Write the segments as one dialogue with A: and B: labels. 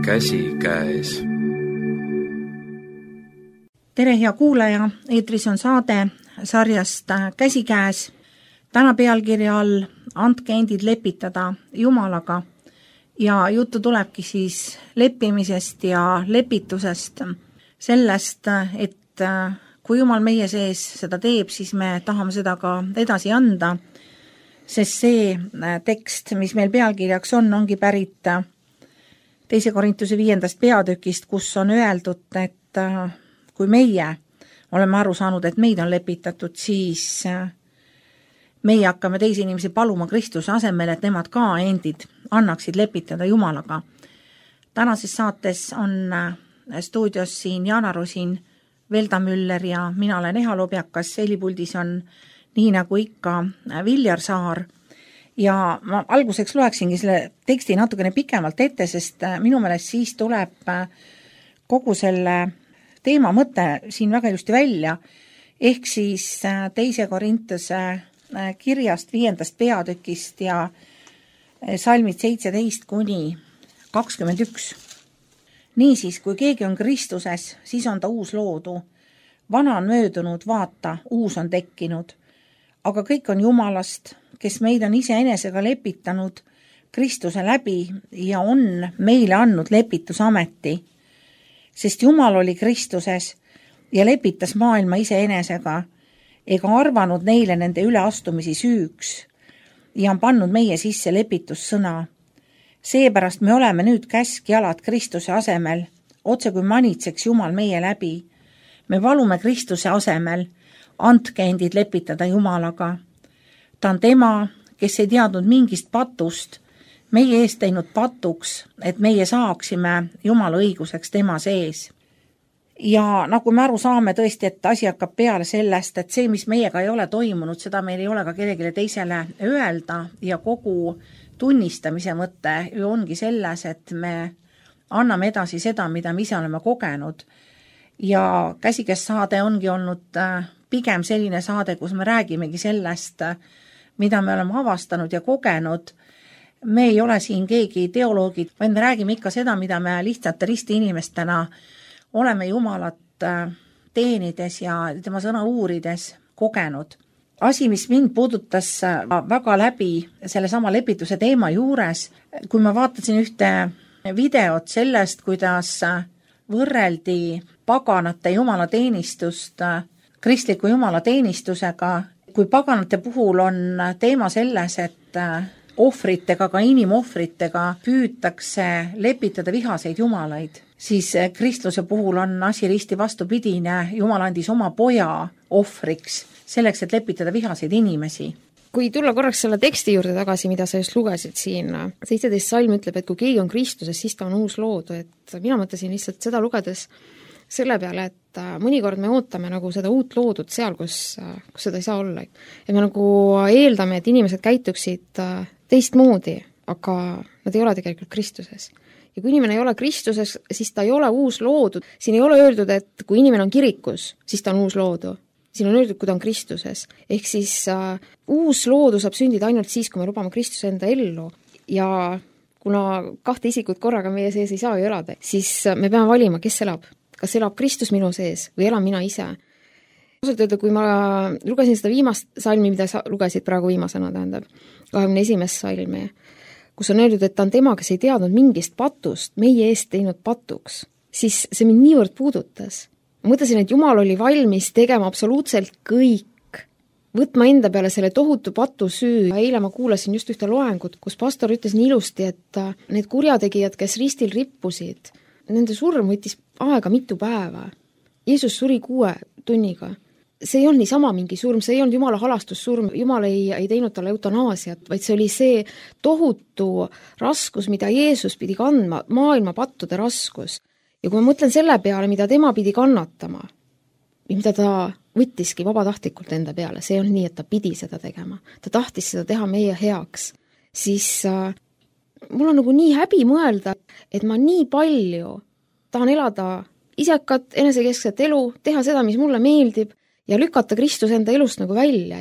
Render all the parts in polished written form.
A: käsikäes.
B: Tere, hea kuulaja, eetris on saade sarjast Käsikäes. Täna pealkirja all Andke endid lepitada Jumalaga ja juttu tulebki siis leppimisest ja lepitusest, sellest, et kui Jumal meie sees seda teeb, siis me tahame seda ka edasi anda, sest see tekst, mis meil pealkirjaks on, ongi pärit 2. Korintuse 5. peatükist, kus on öeldud, et kui meie oleme aru saanud, et meid on lepitatud, siis meie hakkame teisi inimesi paluma Kristuse asemel, et nemad ka endid annaksid lepitada Jumalaga. Tänases saates on stuudios siin Jana Rosin, Velda Müller ja mina olen Eha Lobjakas, helipuldis on nii nagu ikka Viljar Saar. Ja ma alguseks loeksingi selle teksti natukene pikemalt ette, sest minu meelest siis tuleb kogu selle teema mõte siin väga ilusti välja, ehk siis 2. Korintuse kirjast 5. peatükist ja salmid 17-21. Niisiis, kui keegi on Kristuses, siis on ta uus loodu. Vana on möödunud, vaata, uus on tekkinud. Aga kõik on Jumalast, kes meid on iseenesega lepitanud Kristuse läbi ja on meile andnud lepitusameti. Sest Jumal oli Kristuses ja lepitas maailma iseenesega, ega arvanud neile nende üleastumisi süüks ja on pannud meie sisse lepitussõna. Seepärast me oleme nüüd käskjalad Kristuse asemel, otse kui manitseks Jumal meie läbi. Me valume Kristuse asemel, andke endid lepitada Jumalaga. Ta on tema, kes ei teadnud mingist patust, meie eest teinud patuks, et meie saaksime Jumala õiguseks tema sees. Ja nagu me aru saame tõesti, et asi hakkab peale sellest, et see, mis meiega ei ole toimunud, seda meil ei ole ka kellelegi teisele öelda ja kogu tunnistamise mõte ju ongi selles, et me anname edasi seda, mida me ise oleme kogenud. Ja Käsikäes saade ongi olnud pigem selline saade, kus me räägimegi sellest, mida me oleme avastanud ja kogenud. Me ei ole siin keegi teoloogid, vaid me räägime ikka seda, mida me lihtsate risti inimestena oleme Jumalat teenides ja tema sõna uurides kogenud. Asi, mis mind puudutas väga läbi selle sama lepituse teema juures, kui ma vaatasin ühte videot sellest, kuidas võrreldi paganate jumalateenistust kristliku jumalateenistusega, kui paganate puhul on teema selles, et ohvritega, ka inimohvritega püütakse lepitada vihaseid jumalaid, siis kristluse puhul on asi risti vastupidine. Jumal andis oma poja ohvriks selleks, et lepitada vihaseid inimesi.
C: Kui tulla korraks selle teksti juurde tagasi, mida sa just lugesid siin, 17 salm ütleb, et kui keegi on Kristuses, siis ta on uus loodu, et mina mõtlesin lihtsalt seda lugedes selle peale, et mõnikord me ootame nagu seda uut loodut seal, kus seda ei saa olla. Ja me nagu eeldame, et inimesed käituksid teistmoodi, aga nad ei ole tegelikult Kristuses. Ja kui inimene ei ole Kristuses, siis ta ei ole uus loodu. Siin ei ole öeldud, et kui inimene on kirikus, siis ta on uus loodu. Siin on öeldud, kui ta on Kristuses. Ehk siis uus loodu saab sündida ainult siis, kui me lubame Kristuse enda ellu. Ja kuna 2 isikut korraga meie sees ei saa ju elada, siis me peame valima, kes elab. Kas elab Kristus minu sees või elan mina ise? Ausalt öelda, kui ma lugesin seda viimast salmi, mida sa lugesid praegu viimasena, tähendab 21. salmi, kus on öeldud, et ta on tema, kes ei teadnud mingist patust, meie eest teinud patuks, siis see mind niivõrd puudutas. Mõtlesin, et Jumal oli valmis tegema absoluutselt kõik, võtma enda peale selle tohutu patu süü. Eile ma kuulasin just ühte loengut, kus pastor ütles nii ilusti, et need kurjategijad, kes ristil rippusid, nende surm võttis aega mitu päeva. Jeesus suri 6 tunniga. See ei olnud niisama mingi surm, see ei olnud Jumala halastussurm, Jumal ei teinud talle eutanaasiat, vaid see oli see tohutu raskus, mida Jeesus pidi kandma, maailma pattude raskus. Ja kui ma mõtlen selle peale, mida tema pidi kannatama, mida ta võttiski vabatahtlikult enda peale, see on nii, et ta pidi seda tegema. Ta tahtis seda teha meie heaks. Siis mul on nagu nii häbi mõelda, et ma nii palju tahan elada isekat, enesekeskset elu, teha seda, mis mulle meeldib ja lükata Kristus enda elust nagu välja.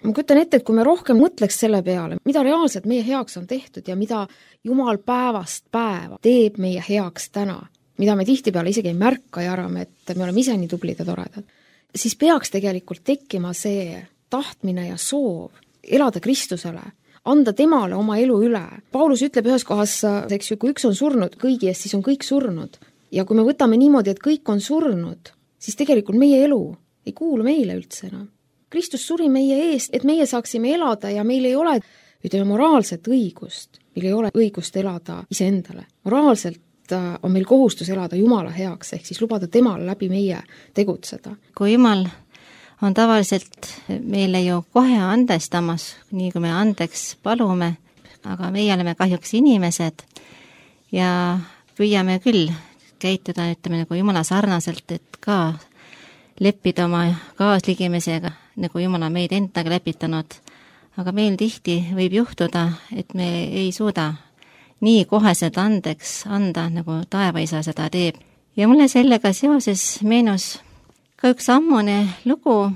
C: ma kujutan ette, et kui me rohkem mõtleks selle peale, mida reaalselt meie heaks on tehtud ja mida Jumal päevast päeva teeb meie heaks täna, mida me tihtipeale isegi ei märka ja arvame, et me oleme ise nii tublid ja toredad, siis peaks tegelikult tekkima see tahtmine ja soov elada Kristusele, anda temale oma elu üle. Paulus ütleb ühes kohas, eks ju, kui üks on surnud kõigi eest, siis on kõik surnud. Ja kui me võtame niimoodi, et kõik on surnud, siis tegelikult meie elu ei kuulu meile üldse enam. Kristus suri meie eest, et meie saaksime elada ja meil ei ole, ütleme, moraalset õigust. Meil ei ole õigust elada iseendale. Moraalselt on meil kohustus elada Jumala heaks, ehk siis lubada temal läbi meie tegutseda.
A: Kui Jumal on tavaliselt meile ju kohe andestamas, nii kui me andeks palume, aga meie oleme kahjuks inimesed ja püüame küll käituda, ütleme, nagu Jumala sarnaselt, et ka leppida oma kaasligimisega, nagu Jumal on meid endaga lepitanud. Aga meil tihti võib juhtuda, et me ei suuda nii koheselt andeks anda, nagu taevaisa seda teeb. Ja mulle sellega seoses meenus ka üks ammune lugu,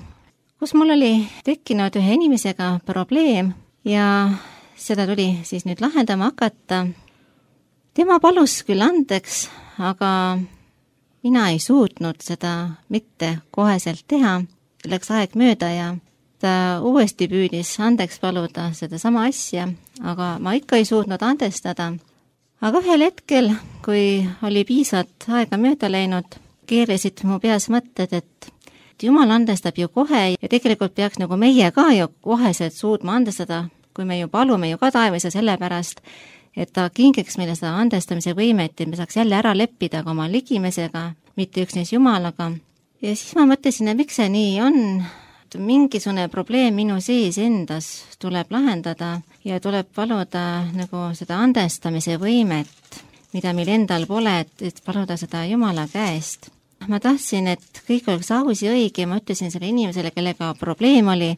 A: kus mul oli tekkinud ühe inimesega probleem ja seda tuli siis nüüd lahendama hakata. Tema palus küll andeks, aga mina ei suutnud seda mitte koheselt teha. Läks aeg mööda ja ta uuesti püüdis andeks paluda seda sama asja, aga ma ikka ei suutnud andestada. Aga ühel hetkel, kui oli piisavalt aega mööda läinud, keerasid mu peas mõtted, et Jumal andestab ju kohe ja tegelikult peaks nagu meie ka ju koheselt suutma andestada, kui me ju palume ju ka taevisa sellepärast, et ta kingiks meile seda andestamise võimet, et me saaks jälle ära leppida ka oma ligimesega, mitte üksnes Jumalaga. Ja siis ma mõtlesin, et miks see nii on, mingisugune probleem minu sees endas tuleb lahendada ja tuleb paluda nagu seda andestamise võimet, mida meil endal pole, et paluda seda Jumala käest. Ma tahtsin, et kõik oleks aus ja õige, ma ütlesin selle inimesele, kellega probleem oli,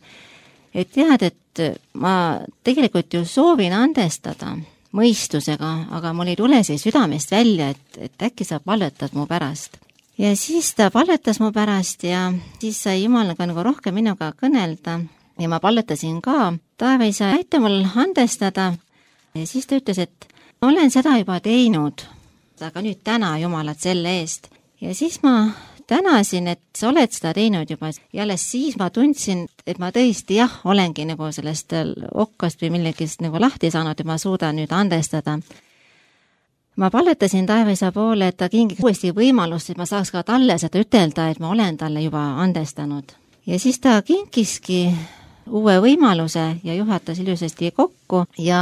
A: et tead, et ma tegelikult ju soovin andestada mõistusega, aga mul ei tule see südamest välja, et äkki sa palvetad mu pärast. Ja siis ta palvetas mu pärast ja siis sai Jumal ka nagu rohkem minuga kõnelda ja ma palvetasin ka. Taevaisa, aita mul andestada. Ja siis ta ütles, et olen seda juba teinud, aga nüüd täna Jumalat selle eest. Ja siis ma tänasin, et sa oled seda teinud juba ja alles siis ma tundsin, et ma tõesti olengi nagu sellest okkast või millegist nagu lahti saanud ja ma suudan nüüd andestada. Ma palvetasin taevaisa poole, et ta kingiks uuesti võimalust, et ma saaks ka talle seda ütelda, et ma olen talle juba andestanud. Ja siis ta kinkiski uue võimaluse ja juhatas ilusasti kokku ja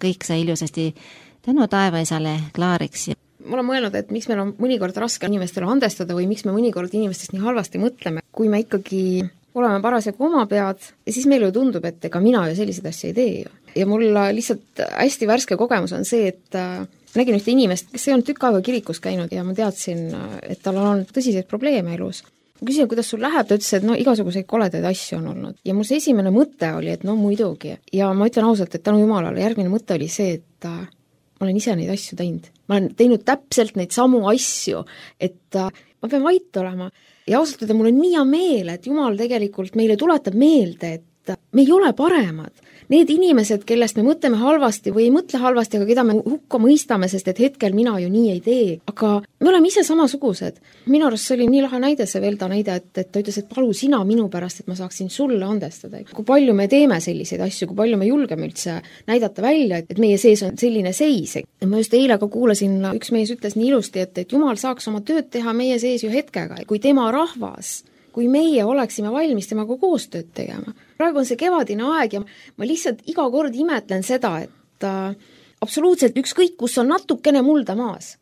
A: kõik sai ilusasti tänu taevaisale klaariks.
C: Ma olen mõelnud, et miks meil on mõnikord raske inimestele andestada või miks me mõnikord inimestest nii halvasti mõtleme, kui me ikkagi oleme parasjagu oma pead ja siis meile ju tundub, et ega mina ju selliseid asju ei tee ju. Ja mul lihtsalt hästi värske kogemus on see, et nägin ühte inimest, kes ei olnud tükk aega kirikus käinud ja ma teadsin, et tal on tõsiseid probleeme elus. Ma küsin, kuidas sul läheb, ta ütles, et igasuguseid koledaid asju on olnud. Ja mul see esimene mõte oli, et muidugi. Ja ma ütlen ausalt, et tänu Jumalale järgmine mõte oli see, et ma olen ise neid asju teinud. Ma olen teinud täpselt neid samu asju, et ma pean vait olema. Ja ausalt öelda, mul on nii hea meel, et Jumal tegelikult meile tuletab meelde, et me ei ole paremad. Need inimesed, kellest me mõtleme halvasti või ei mõtle halvasti, aga keda me hukka mõistame, sest et hetkel mina ju nii ei tee. Aga me oleme ise samasugused. Minu arust see oli nii lahe näide, see Velda näide, et ta ütles, et palu sina minu pärast, et ma saaksin sulle andestada. Kui palju me teeme selliseid asju, kui palju me julgeme üldse näidata välja, et meie sees on selline seis. Ma just eile ka kuulasin, üks mees ütles nii ilusti, et Jumal saaks oma tööd teha meie sees ju hetkega, kui tema rahvas, kui meie oleksime valmis temaga koostööd tegema. Praegu on see kevadine aeg ja ma lihtsalt iga kord imetlen seda, et absoluutselt ükskõik, kus on natukene mulda maas.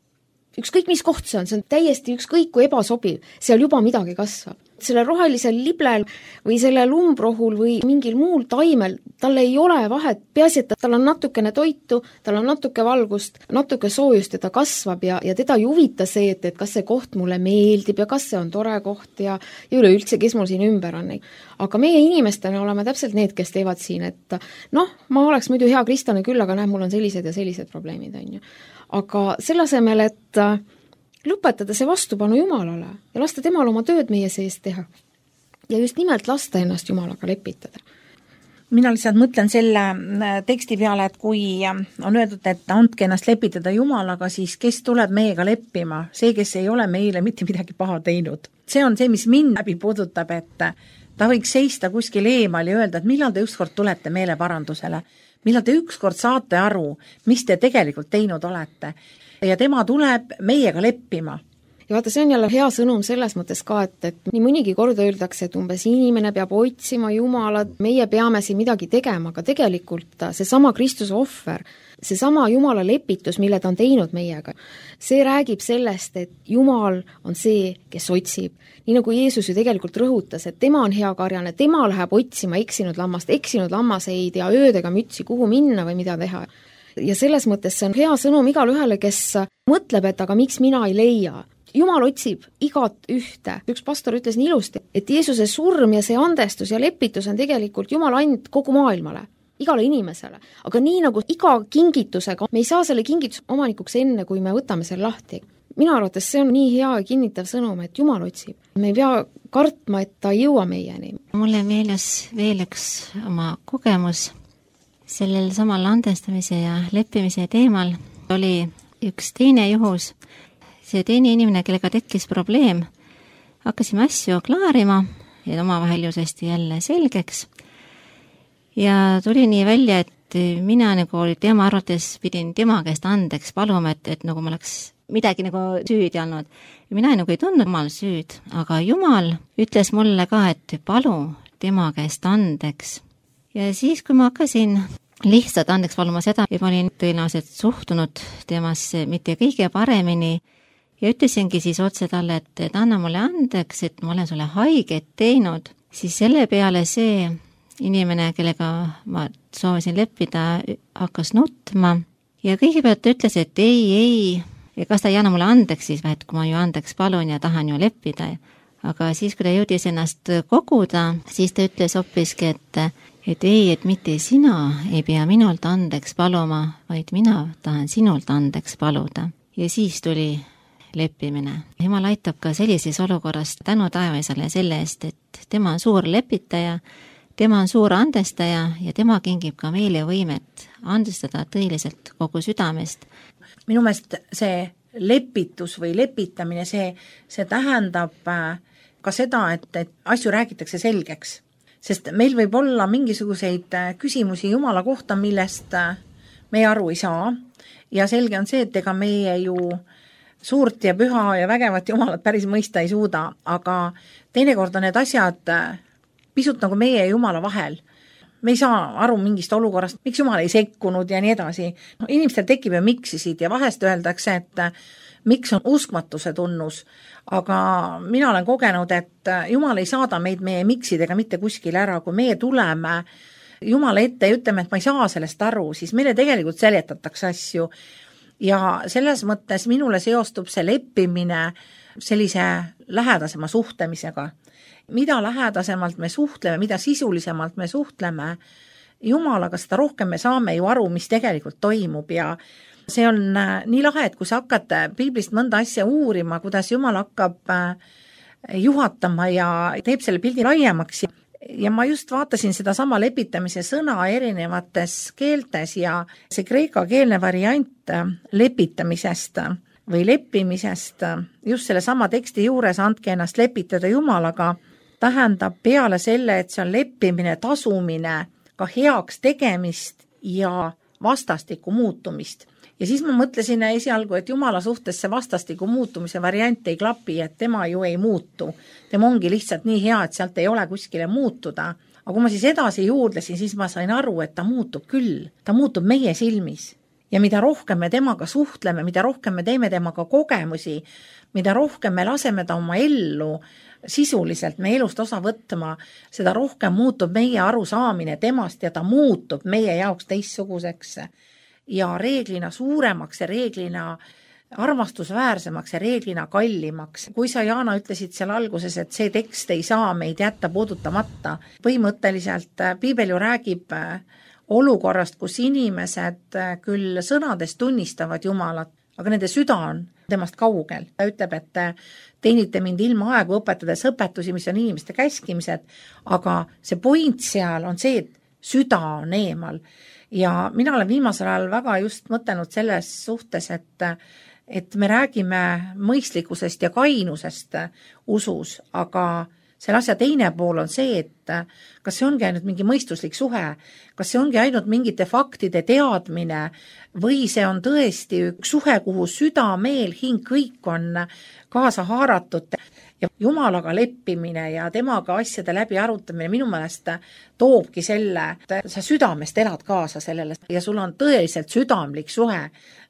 C: Ükskõik, mis koht see on täiesti ükskõik, kui ebasobiv, seal juba midagi kasvab. Selle rohelisel liblel või selle lumbrohul või mingil muul taimel, tal ei ole vahet, peaasi, et tal on natukene toitu, tal on natuke valgust, natuke soojust ja ta kasvab ja teda ei huvita see, et kas see koht mulle meeldib ja kas see on tore koht ja üleüldse, kes mul siin ümber on. Aga meie inimestena oleme täpselt need, kes teevad siin, et ma oleks muidu hea kristlane küll, aga näeb, mul on sellised ja sellised probleemid. Aga selle asemel, et lõpetada see vastupanu Jumalale ja lasta temal oma tööd meie sees teha. Ja just nimelt lasta ennast Jumalaga lepitada.
B: mina lihtsalt mõtlen selle teksti peale, et kui on öeldud, et andke ennast lepitada Jumalaga, siis kes tuleb meiega leppima? See, kes ei ole meile mitte midagi paha teinud. See on see, mis mind läbi puudutab, et ta võiks seista kuskil eemal ja öelda, et millal te ükskord tulete meeleparandusele, millal te ükskord saate aru, mis te tegelikult teinud olete. Ja tema tuleb meiega leppima.
C: Ja vaata, see on jälle hea sõnum selles mõttes ka, et nii mõnigi kord öeldakse, et umbes inimene peab otsima Jumalat, meie peame siin midagi tegema, aga tegelikult seesama Kristuse ohver, seesama Jumala lepitus, mille ta on teinud meiega, see räägib sellest, et Jumal on see, kes otsib. Nii nagu Jeesus ju tegelikult rõhutas, et tema on hea karjane, tema läheb otsima eksinud lammaseid ja öödega mütsi, kuhu minna või mida teha. Ja selles mõttes see on hea sõnum igale ühele, kes mõtleb, et aga miks mina ei leia. Jumal otsib igat ühte. Üks pastor ütles nii ilusti, et Jeesuse surm ja see andestus ja lepitus on tegelikult Jumal and kogu maailmale, igale inimesele. Aga nii nagu iga kingitusega, me ei saa selle kingituse omanikuks enne, kui me võtame selle lahti. Minu arvates see on nii hea ja kinnitav sõnum, et Jumal otsib. Me ei pea kartma, et ta ei jõua meieni.
A: Mulle meeles veel üks oma kogemus sellel samal andestamise ja leppimise teemal. Oli üks teine juhus. See teine inimene, kellega tekkis probleem, hakkasime asju klaarima ja omavahel jusesti jälle selgeks. Ja tuli nii välja, et mina nagu oli tema arvates pidin tema käest andeks paluma, et nagu ma oleks midagi nagu süüdi olnud. Ja mina nagu ei tundnud Jumal süüd, aga Jumal ütles mulle ka, et palu tema käest andeks. Ja siis, kui ma hakkasin lihtsalt andeks paluma seda, et ma olin tõenäoliselt suhtunud temasse mitte kõige paremini, ja ütlesingi siis otse talle, et anna mulle andeks, et ma olen sulle haiget teinud, siis selle peale see inimene, kellega ma soovisin leppida, hakkas nutma ja kõigepealt ütles, et ei, ja kas ta ei anna mulle andeks siis, et kui ma ju andeks palun ja tahan ju leppida. Aga siis, kui ta jõudis ennast koguda, siis ta ütles hoppiski, et ei, et mitte sina ei pea minult andeks paluma, vaid mina tahan sinult andeks paluda. Ja siis tuli leppimine. Jumal aitab ka sellises olukorras tänu taevasele selle eest, et tema on suur lepitaja, tema on suur andestaja ja tema kingib ka meile võimet andestada tõeliselt kogu südamest.
B: Minu meelest see lepitus või lepitamine, see tähendab ka seda, et asju räägitakse selgeks. Sest meil võib olla mingisuguseid küsimusi Jumala kohta, millest me aru ei saa. Ja selge on see, et ega meie ju suurt ja püha ja vägevat Jumalat päris mõista ei suuda, aga teinekord on need asjad pisut nagu meie ja Jumala vahel. Me ei saa aru mingist olukorrast, miks Jumal ei sekkunud ja nii edasi. Inimestel tekib ju miksisid ja vahest öeldakse, et miks on uskmatuse tunnus, aga mina olen kogenud, et Jumal ei saada meid meie miksidega mitte kuskil ära, kui meie tuleme Jumala ette ja ütleme, et ma ei saa sellest aru, siis meile tegelikult seletatakse asju. Ja selles mõttes minule seostub see leppimine sellise lähedasema suhtlemisega. Mida lähedasemalt me suhtleme, mida sisulisemalt me suhtleme Jumalaga, seda rohkem me saame ju aru, mis tegelikult toimub ja see on nii lahe, et kui sa hakkad piiblist mõnda asja uurima, kuidas Jumal hakkab juhatama ja teeb selle pildi laiemaks. Ja ma just vaatasin seda sama lepitamise sõna erinevates keeltes ja see kreekakeelne variant lepitamisest või leppimisest just selle sama teksti juures andke ennast lepitada Jumalaga tähendab peale selle, et see on leppimine, tasumine, ka heaks tegemist ja vastastikku muutumist. Ja siis ma mõtlesin esialgu, et Jumala suhtes see vastastiku muutumise variant ei klapi, et tema ju ei muutu. Tema ongi lihtsalt nii hea, et sealt ei ole kuskile muutuda. Aga kui ma siis edasi juurdlesin, siis ma sain aru, et ta muutub küll. Ta muutub meie silmis. Ja mida rohkem me temaga suhtleme, mida rohkem me teeme temaga kogemusi, mida rohkem me laseme ta oma ellu sisuliselt me elust osa võtma, seda rohkem muutub meie arusaamine temast ja ta muutub meie jaoks teistsuguseks ja reeglina suuremaks ja reeglina armastusväärsemaks ja reeglina kallimaks. Kui sa, Jaana, ütlesid seal alguses, et see tekst ei saa meid jätta puudutamata, põhimõtteliselt piibel ju räägib olukorrast, kus inimesed küll sõnades tunnistavad Jumalat, aga nende süda on temast kaugel. Ta ütleb, et teenite mind ilma aegu õpetades õpetusi, mis on inimeste käskimised, aga see point seal on see, et süda on eemal. Ja mina olen viimasel ajal väga just mõtelnud selles suhtes, et me räägime mõistlikkusest ja kainusest usus, aga selle asja teine pool on see, et kas see ongi ainult mingi mõistuslik suhe, kas see ongi ainult mingite faktide teadmine või see on tõesti üks suhe, kuhu süda, meel, hing, kõik on kaasa haaratud ja Jumalaga leppimine ja temaga asjade läbi arutamine minu meelest toobki selle, et sa südamest elad kaasa sellele ja sul on tõeliselt südamlik suhe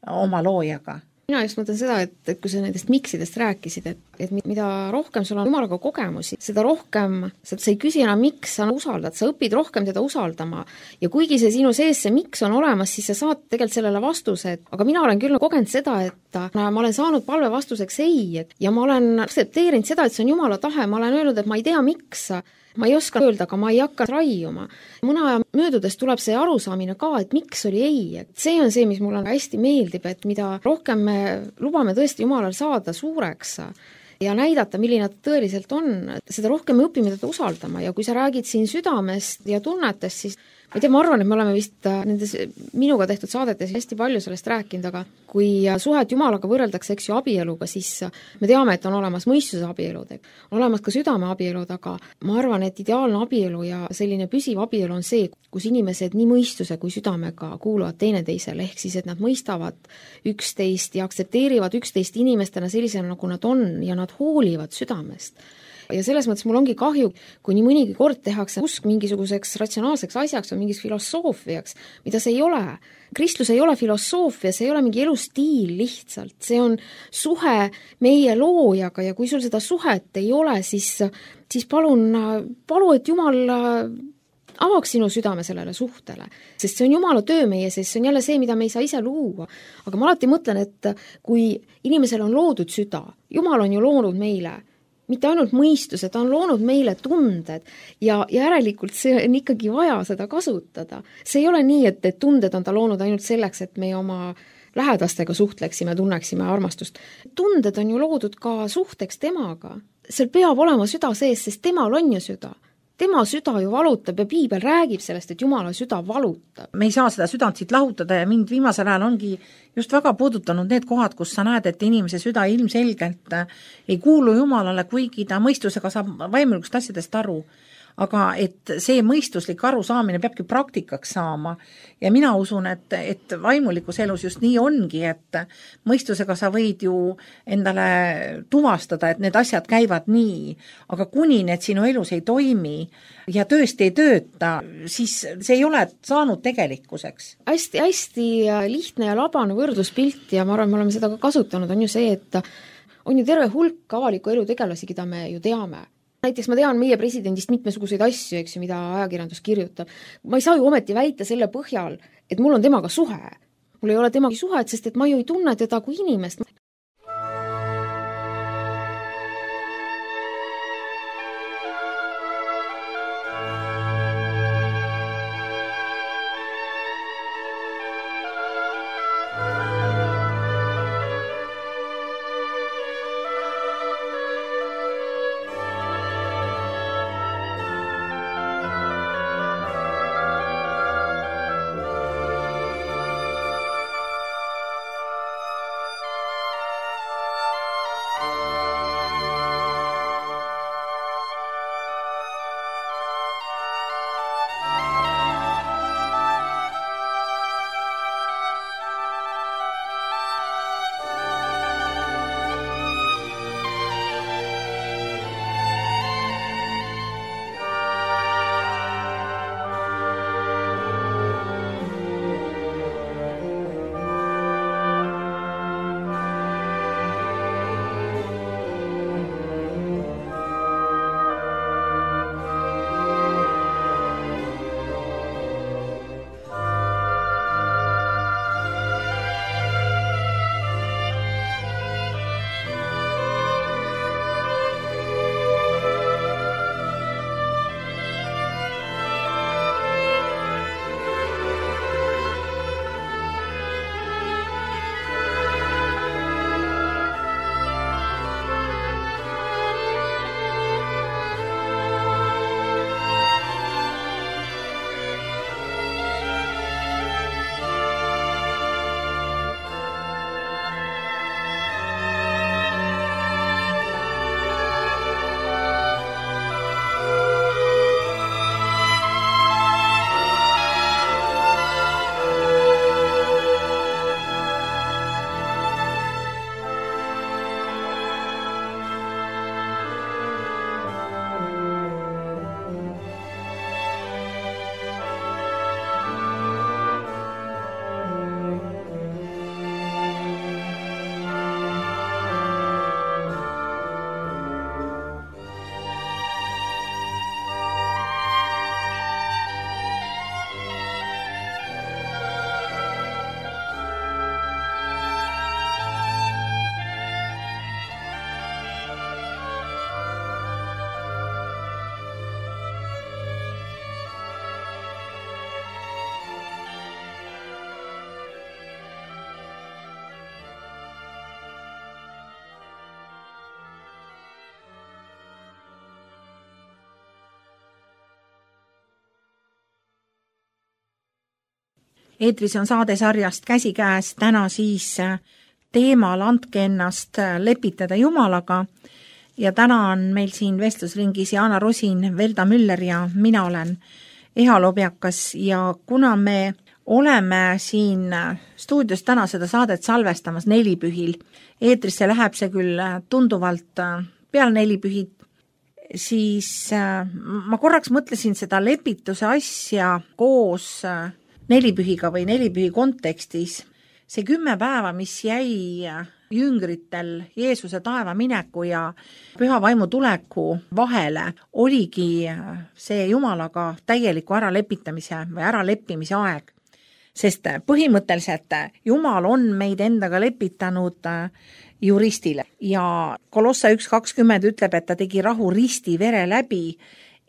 B: oma loojaga.
C: Mina just mõtlen seda, et kui sa nendest miksidest rääkisid, et mida rohkem sul on Jumalaga kogemusi, seda rohkem sa ei küsi enam, miks sa usaldad, sa õpid rohkem teda usaldama ja kuigi see sinu sees see miks on olemas, siis sa saad tegelikult sellele vastuse, aga mina olen küll kogenud seda, et ma olen saanud palve vastuseks ei, ja ma olen aktsepteerinud seda, et see on Jumala tahe, ma olen öelnud, et ma ei tea, miks ma ei oska öelda, aga ma ei hakka raiuma. Mõne aja möödudes tuleb see arusaamine ka, et miks oli ei. See on see, mis mulle hästi meeldib, et mida rohkem me lubame tõesti Jumalal saada suureks ja näidata, milline ta tõeliselt on, seda rohkem me õpime teda usaldama ja kui sa räägid siin südamest ja tunnetest, siis ma ei tea, ma arvan, et me oleme vist nendes minuga tehtud saadetes hästi palju sellest rääkinud, aga kui suhet Jumalaga võrreldakse, eks ju, abieluga, siis me teame, et on olemas mõistuse abielud, on olemas ka südame abielud, aga ma arvan, et ideaalne abielu ja selline püsiv abielu on see, kus inimesed nii mõistuse kui südamega kuuluvad teineteisele, ehk siis, et nad mõistavad üksteist ja aktsepteerivad üksteist inimestena sellisena, nagu nad on ja nad hoolivad südamest. Ja selles mõttes mul ongi kahju, kui nii mõnigi kord tehakse usk mingisuguseks ratsionaalseks asjaks või mingis filosoofiaks, mida see ei ole. Kristlus ei ole filosoofia, see ei ole mingi elustiil lihtsalt, see on suhe meie loojaga ja kui sul seda suhet ei ole, siis palu, et Jumal avaks sinu südame sellele suhtele, sest see on Jumala töö meie sees, see on jälle see, mida me ei saa ise luua. Aga ma alati mõtlen, et kui inimesel on loodud süda, Jumal on ju loonud meile mitte ainult mõistuse, ta on loonud meile tunded ja järelikult see on ikkagi vaja seda kasutada. See ei ole nii, et tunded on ta loonud ainult selleks, et me oma lähedastega suhtleksime, tunneksime armastust. Tunded on ju loodud ka suhteks temaga. Seal peab olema süda sees, sest temal on ju süda. Tema süda ju valutab ja Piibel räägib sellest, et Jumala süda valutab.
B: Me ei saa seda südant siit lahutada ja mind viimasel ajal ongi just väga puudutanud need kohad, kus sa näed, et inimese süda ilmselgelt ei kuulu Jumalale, kuigi ta mõistusega saab vaimulikust asjadest aru. Aga et see mõistuslik arusaamine peabki praktikaks saama ja mina usun, et vaimulikus elus just nii ongi, et mõistusega sa võid ju endale tuvastada, et need asjad käivad nii, aga kuni need sinu elus ei toimi ja tõesti ei tööta, siis see ei ole saanud tegelikkuseks.
C: Hästi lihtne ja labane võrdluspilt ja ma arvan, me oleme seda ka kasutanud, on ju see, et on ju terve hulk avaliku elu tegelasi, keda me ju teame. Näiteks ma tean meie presidendist mitmesuguseid asju, eks ju, mida ajakirjandus kirjutab. Ma ei saa ju ometi väita selle põhjal, et mul on temaga suhe. Mul ei ole temaga suhet, sest et ma ju ei tunne teda kui inimest.
B: eetris on saadesarjast Käsikäes, täna siis teemal Andke ennast lepitada Jumalaga ja täna on meil siin vestlusringis Jaana Rosin, Velda Müller ja mina olen Eha Lobjakas ja kuna me oleme siin stuudios täna seda saadet salvestamas nelipühil, eetrisse läheb see küll tunduvalt peale nelipühid, siis ma korraks mõtlesin seda lepituse asja koos nelipühiga või nelipühi kontekstis. See 10 päeva, mis jäi jüngritel Jeesuse taeva mineku ja püha vaimu tuleku vahele, oligi see Jumalaga täieliku äralepitamise või äraleppimise aeg. Sest põhimõtteliselt Jumal on meid endaga lepitanud juristile ja Kolossa 1.20 ütleb, et ta tegi rahu risti vere läbi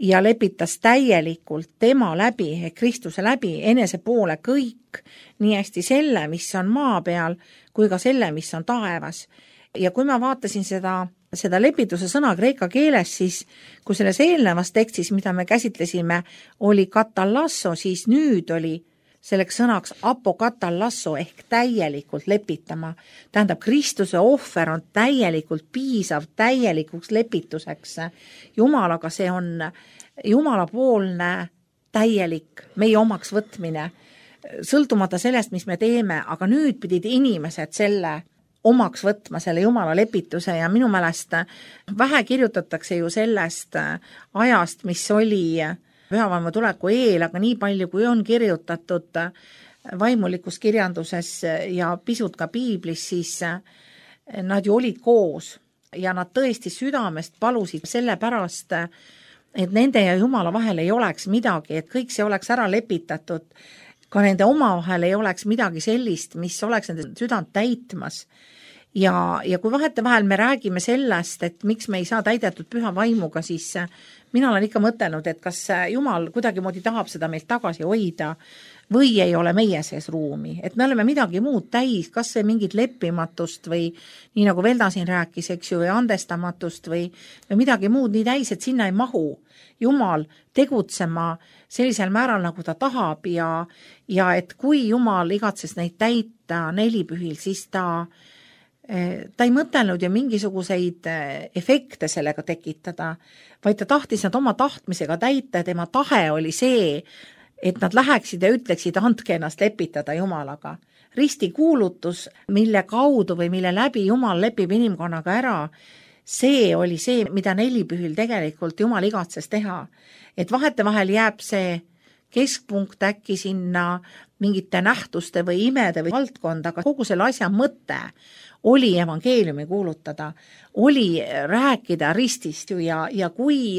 B: ja lepitas täielikult tema läbi, Kristuse läbi, enese poole kõik, nii hästi selle, mis on maa peal, kui ka selle, mis on taevas. Ja kui ma vaatasin seda lepituse sõna kreeka keeles, siis kui selles eelnevas tekstis, mida me käsitlesime, oli katallasso, siis nüüd oli selleks sõnaks apokatallasso ehk täielikult lepitama. Tähendab, Kristuse ohver on täielikult piisav täielikuks lepituseks. Jumalaga see on Jumalapoolne täielik meie omaks võtmine, sõltumata sellest, mis me teeme, aga nüüd pidid inimesed selle omaks võtma, selle Jumala lepituse ja minu meelest vähe kirjutatakse ju sellest ajast, mis oli pühavaimu tuleku eel, aga nii palju, kui on kirjutatud vaimulikus kirjanduses ja pisut ka piiblis, siis nad ju olid koos ja nad tõesti südamest palusid selle pärast, et nende ja Jumala vahel ei oleks midagi, et kõik see oleks ära lepitatud, ka nende omavahel ei oleks midagi sellist, mis oleks nende südant täitmas. Ja kui vahetevahel me räägime sellest, et miks me ei saa täidetud püha vaimuga, siis mina olen ikka mõtelnud, et kas Jumal kuidagimoodi tahab seda meilt tagasi hoida või ei ole meie sees ruumi. Et me oleme midagi muud täis, kas see mingit leppimatust või nii nagu Velda siin rääkis, eks ju, või andestamatust või midagi muud nii täis, et sinna ei mahu Jumal tegutsema sellisel määral, nagu ta tahab ja et kui Jumal igatses neid täita nelipühil, siis ta ei mõtelnud ju mingisuguseid efekte sellega tekitada, vaid ta tahtis nad oma tahtmisega täita ja tema tahe oli see, et nad läheksid ja ütleksid, andke ennast lepitada Jumalaga. Ristikuulutus, mille kaudu või mille läbi Jumal lepib inimkonnaga ära, see oli see, mida nelipühil tegelikult Jumal igatses teha. Et vahetevahel jääb see keskpunkt äkki sinna mingite nähtuste või imede või valdkonda, aga kogu selle asja mõte oli evangeeliumi kuulutada, oli rääkida ristist ju ja kui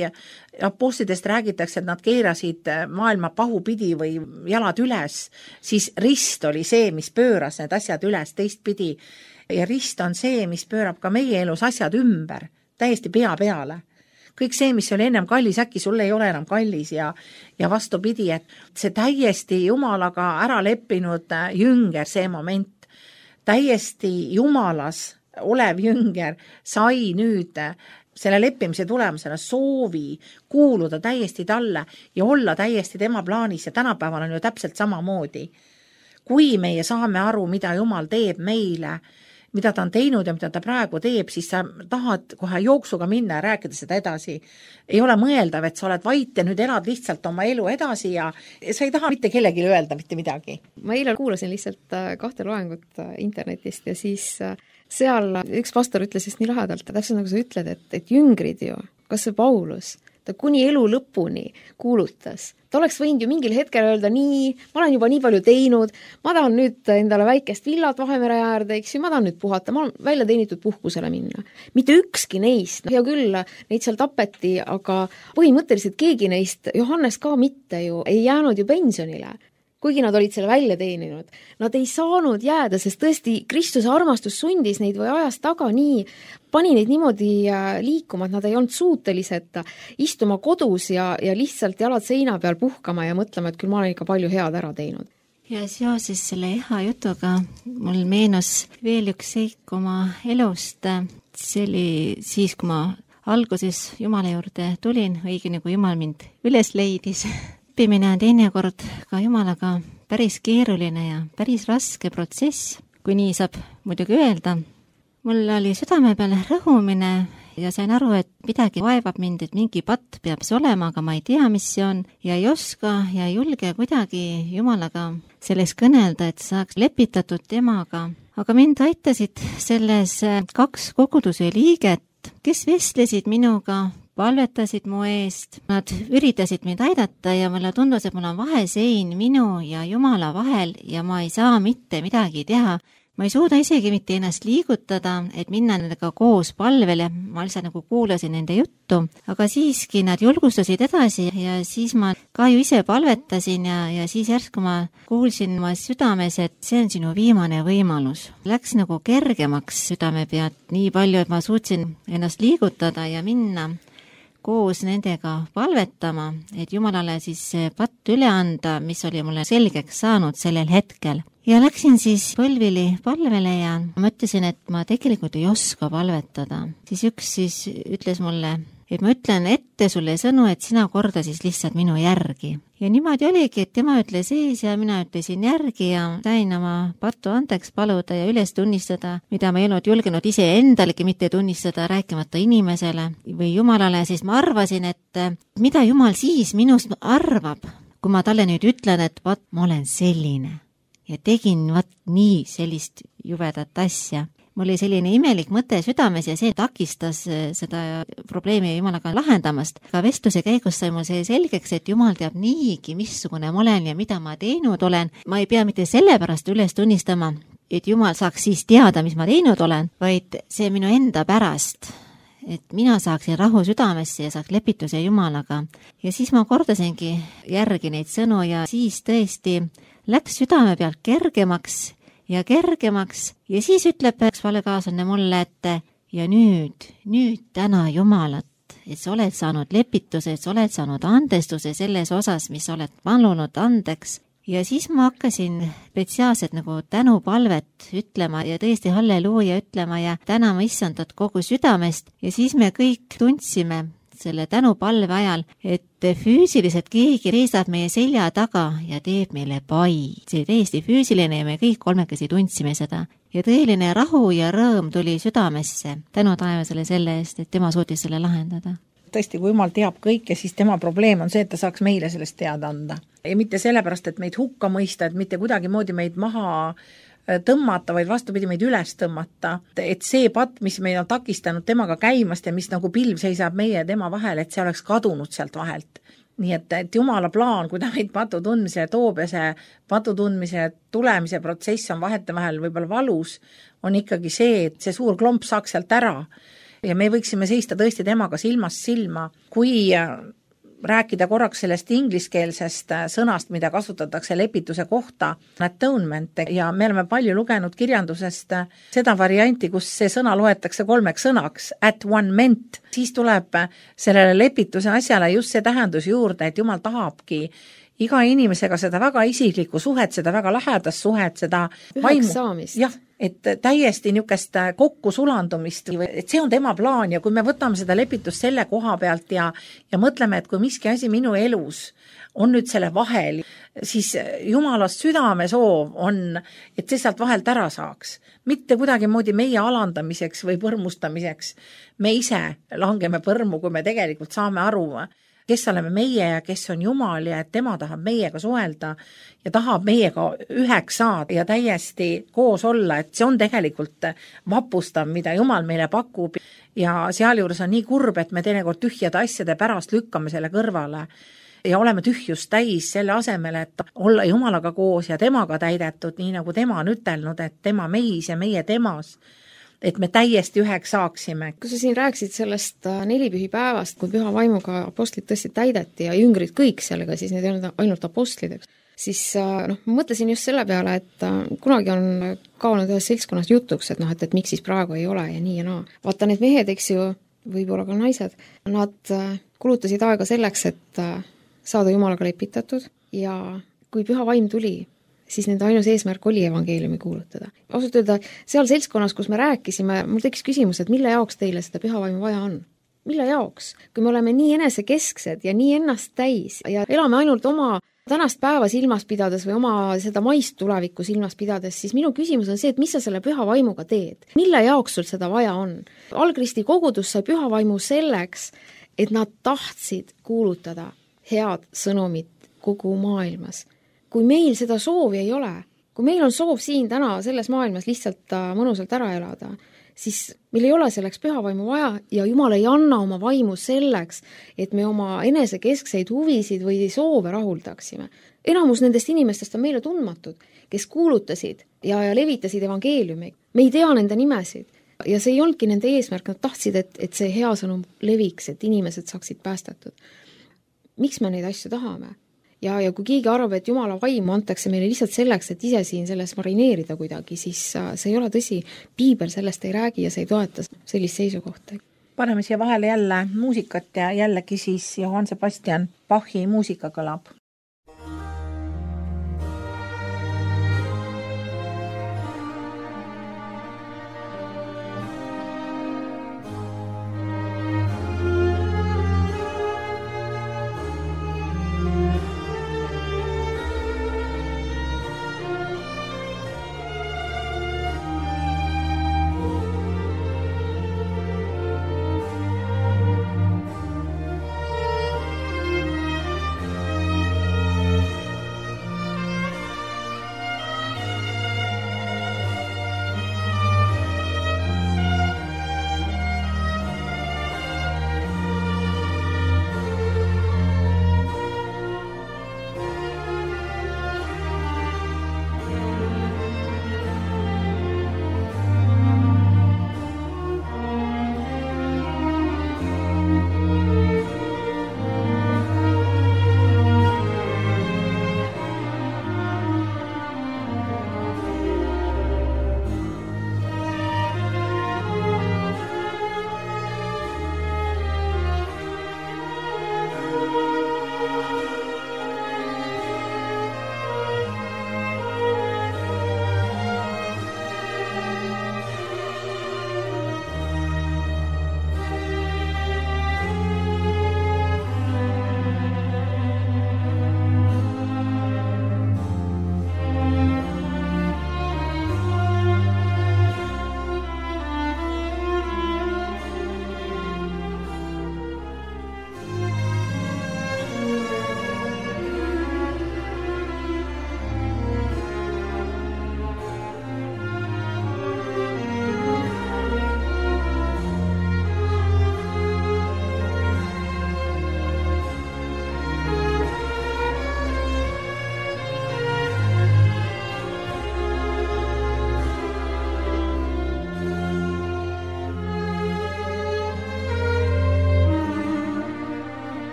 B: apostlidest räägitakse, et nad keerasid maailma pahupidi või jalad üles, siis rist oli see, mis pööras need asjad üles teistpidi ja rist on see, mis pöörab ka meie elus asjad ümber, täiesti pea peale. Kõik see, mis oli ennem kallis, äkki sulle ei ole enam kallis ja vastupidi, et see täiesti Jumalaga ära leppinud jünger, see moment, täiesti Jumalas olev jünger sai nüüd selle leppimise tulemusena soovi kuuluda täiesti talle ja olla täiesti tema plaanis ja tänapäeval on ju täpselt samamoodi. Kui meie saame aru, mida Jumal teeb meile, mida ta on teinud ja mida ta praegu teeb, siis sa tahad kohe jooksuga minna ja rääkida seda edasi. Ei ole mõeldav, et sa oled vait ja nüüd elad lihtsalt oma elu edasi ja sa ei taha mitte kellelegi öelda mitte midagi.
C: Ma eile kuulasin lihtsalt 2 loengut internetist ja siis seal üks pastor ütles just nii lahedalt, täpselt nagu sa ütled, et jüngrid ju, kas see Paulus, ta kuni elu lõpuni kuulutas. Ta oleks võinud ju mingil hetkel öelda nii, ma olen juba nii palju teinud, ma tahan nüüd endale väikest villat Vahemere äärde, eks ju, ma tahan nüüd puhata, ma olen välja teenitud puhkusele minna. Mitte ükski neist, hea küll, neid seal tapeti, aga põhimõtteliselt keegi neist, Johannes ka mitte ju, ei jäänud ju pensionile. Kuigi nad olid selle välja teeninud. Nad ei saanud jääda, sest tõesti Kristuse armastus sundis neid või ajas taga nii, pani neid niimoodi liikuma, et nad ei olnud suutelised istuma kodus ja lihtsalt jalad seina peal puhkama ja mõtlema, et küll ma olen ikka palju head ära teinud.
A: Ja seoses selle Eha jutuga mul meenus veel üks seik oma elust. See oli siis, kui ma alguses Jumala juurde tulin, õige nagu Jumal mind üles leidis. Õppimine on teinekord ka Jumalaga päris keeruline ja päris raske protsess, kui nii saab muidugi öelda. Mul oli südame peale rõhumine ja sain aru, et midagi vaevab mind, et mingi patt peab see olema, aga ma ei tea, mis see on ja ei oska ja ei julge kuidagi Jumalaga selleks kõnelda, et saaks lepitatud temaga. Aga mind aitasid selles 2 koguduse liiget, kes vestlesid minuga, palvetasid mu eest. Nad üritasid mind aidata ja mulle tundus, et mul on vahesein minu ja Jumala vahel ja ma ei saa mitte midagi teha. Ma ei suuda isegi mitte ennast liigutada, et minna nendega koos palvele, ma lihtsalt nagu kuulasin nende juttu, aga siiski nad julgustasid edasi ja siis ma ka ju ise palvetasin ja siis järsku ma kuulsin oma südames, et see on sinu viimane võimalus. Läks nagu kergemaks südame pealt nii palju, et ma suutsin ennast liigutada ja minna koos nendega palvetama, et Jumalale siis see patt üle anda, mis oli mulle selgeks saanud sellel hetkel. Ja läksin siis põlvili palvele ja mõtlesin, et ma tegelikult ei oska palvetada. Siis üks siis ütles mulle, et ma ütlen ette sulle sõnu, et sina korda siis lihtsalt minu järgi. Ja niimoodi oligi, et tema ütles ees ja mina ütlesin järgi ja sain oma pattu andeks paluda ja üles tunnistada, mida ma ei olnud julgenud ise endalegi mitte tunnistada, rääkimata inimesele või Jumalale, siis ma arvasin, et mida Jumal siis minust arvab, kui ma talle nüüd ütlen, et vaat ma olen selline ja tegin vaat nii sellist jubedat asja. Mul oli selline imelik mõte südames ja see takistas seda probleemi Jumalaga lahendamast. Ka vestluse käigus sai mul see selgeks, et Jumal teab niigi, missugune ma olen ja mida ma teinud olen. Ma ei pea mitte sellepärast üles tunnistama, et Jumal saaks siis teada, mis ma teinud olen, vaid see minu enda pärast, et mina saaksin rahu südamesse ja saaks lepituse Jumalaga. Ja siis ma kordasingi järgi neid sõnu ja siis tõesti läks südame pealt kergemaks ja siis ütleb üks valekaaslane mulle, et ja nüüd täna Jumalat, et sa oled saanud lepituse, et sa oled saanud andestuse selles osas, mis oled palunud andeks. Ja siis ma hakkasin spetsiaalselt nagu tänupalvet ütlema ja tõesti halleluuja ütlema ja tänama Issandat kogu südamest ja siis me kõik tundsime selle tänupalve ajal, et füüsiliselt keegi seisab meie selja taga ja teeb meile pai. See täiesti füüsiline ja me kõik kolmekesi tundsime seda. Ja tõeline rahu ja rõõm tuli südamesse. Tänu taevasele selle eest, et tema suutis selle lahendada.
B: Tõesti, kui Jumal teab kõike, siis tema probleem on see, et ta saaks meile sellest teada anda. Ja mitte sellepärast, et meid hukka mõista, et mitte kuidagi moodi meid maha tõmmata, vaid vastupidi meid üles tõmmata. Et see patt, mis meid on takistanud temaga käimast ja mis nagu pilv seisab meie ja tema vahel, et see oleks kadunud sealt vahelt. Nii et Jumala plaan, kui ta meid patu tundmise toob ja see patu tundmise tulemise protsess on vahetevahel võib-olla valus, on ikkagi see, et see suur klomp saaks sealt ära ja me võiksime seista tõesti temaga silmast silma. Kui rääkida korraks sellest ingliskeelsest sõnast, mida kasutatakse lepituse kohta, atonement, ja me oleme palju lugenud kirjandusest seda varianti, kus see sõna loetakse 3 sõnaks, at one meant, siis tuleb sellele lepituse asjale just see tähendus juurde, et Jumal tahabki iga inimesega seda väga isiklikku suhet, seda väga lähedast suhet, seda
C: üheks saamist.
B: Jah, et täiesti niisugust kokku sulandumist, et see on tema plaan ja kui me võtame seda lepitust selle koha pealt ja mõtleme, et kui miski asi minu elus on nüüd selle vahel, siis Jumalast südame soov on, et see sealt vahelt ära saaks. Mitte kuidagi moodi meie alandamiseks või põrmustamiseks. Me ise langeme põrmu, kui me tegelikult saame aru, kes oleme meie ja kes on Jumal ja et tema tahab meiega suhelda ja tahab meiega üheks saada ja täiesti koos olla, et see on tegelikult vapustav, mida Jumal meile pakub ja sealjuures on nii kurb, et me teinekord tühjade asjade pärast lükkame selle kõrvale ja oleme tühjust täis selle asemel, et olla Jumalaga koos ja temaga täidetud, nii nagu tema on ütelnud, et tema meis ja meie temas, et me täiesti üheks saaksime.
C: Kui sa siin rääkisid sellest 4 pühipäevast, kui püha vaimuga apostlid tõesti täideti ja jüngrid kõik sellega, siis need ei olnud ainult apostlid, siis ma mõtlesin just selle peale, et kunagi on kaonud ühes seltskonnas jutuks, et miks siis praegu ei ole ja nii ja naa. Vaata need mehed, eks ju, võib-olla ka naised, nad kulutasid aega selleks, et saada Jumalaga lepitatud ja kui püha vaim tuli, siis nende ainus eesmärk oli evangeeliumi kuulutada. Ausalt öelda, seal seltskonnas, kus me rääkisime, mul tekkis küsimus, et mille jaoks teile seda pühavaimu vaja on? Mille jaoks? Kui me oleme nii enesekesksed ja nii ennast täis ja elame ainult oma tänast päeva silmas pidades või oma seda maist tulevikku silmas pidades, siis minu küsimus on see, et mis sa selle püha vaimuga teed? Mille jaoks sul seda vaja on? Algristi kogudus sai püha vaimu selleks, et nad tahtsid kuulutada head sõnumit kogu maailmas. Kui meil seda soovi ei ole, kui meil on soov siin täna selles maailmas lihtsalt mõnusalt ära elada, siis meil ei ole selleks pühavaimu vaja ja Jumal ei anna oma vaimu selleks, et me oma enesekeskseid huvisid või soove rahuldaksime. Enamus nendest inimestest on meile tundmatud, kes kuulutasid ja levitasid evangeeliumi. Me ei tea nende nimesid ja see ei olnudki nende eesmärk, nad tahtsid, et see hea sõnum leviks, et inimesed saaksid päästetud. Miks me neid asju tahame? Ja kui keegi arvab, et Jumala vaimu antakse meile lihtsalt selleks, et ise siin selles marineerida kuidagi, siis see ei ole tõsi. Piibel sellest ei räägi ja see ei toeta sellist seisukohta.
B: Paneme siia vahele jälle muusikat ja jällegi siis Johann Sebastian Bachi muusika kõlab.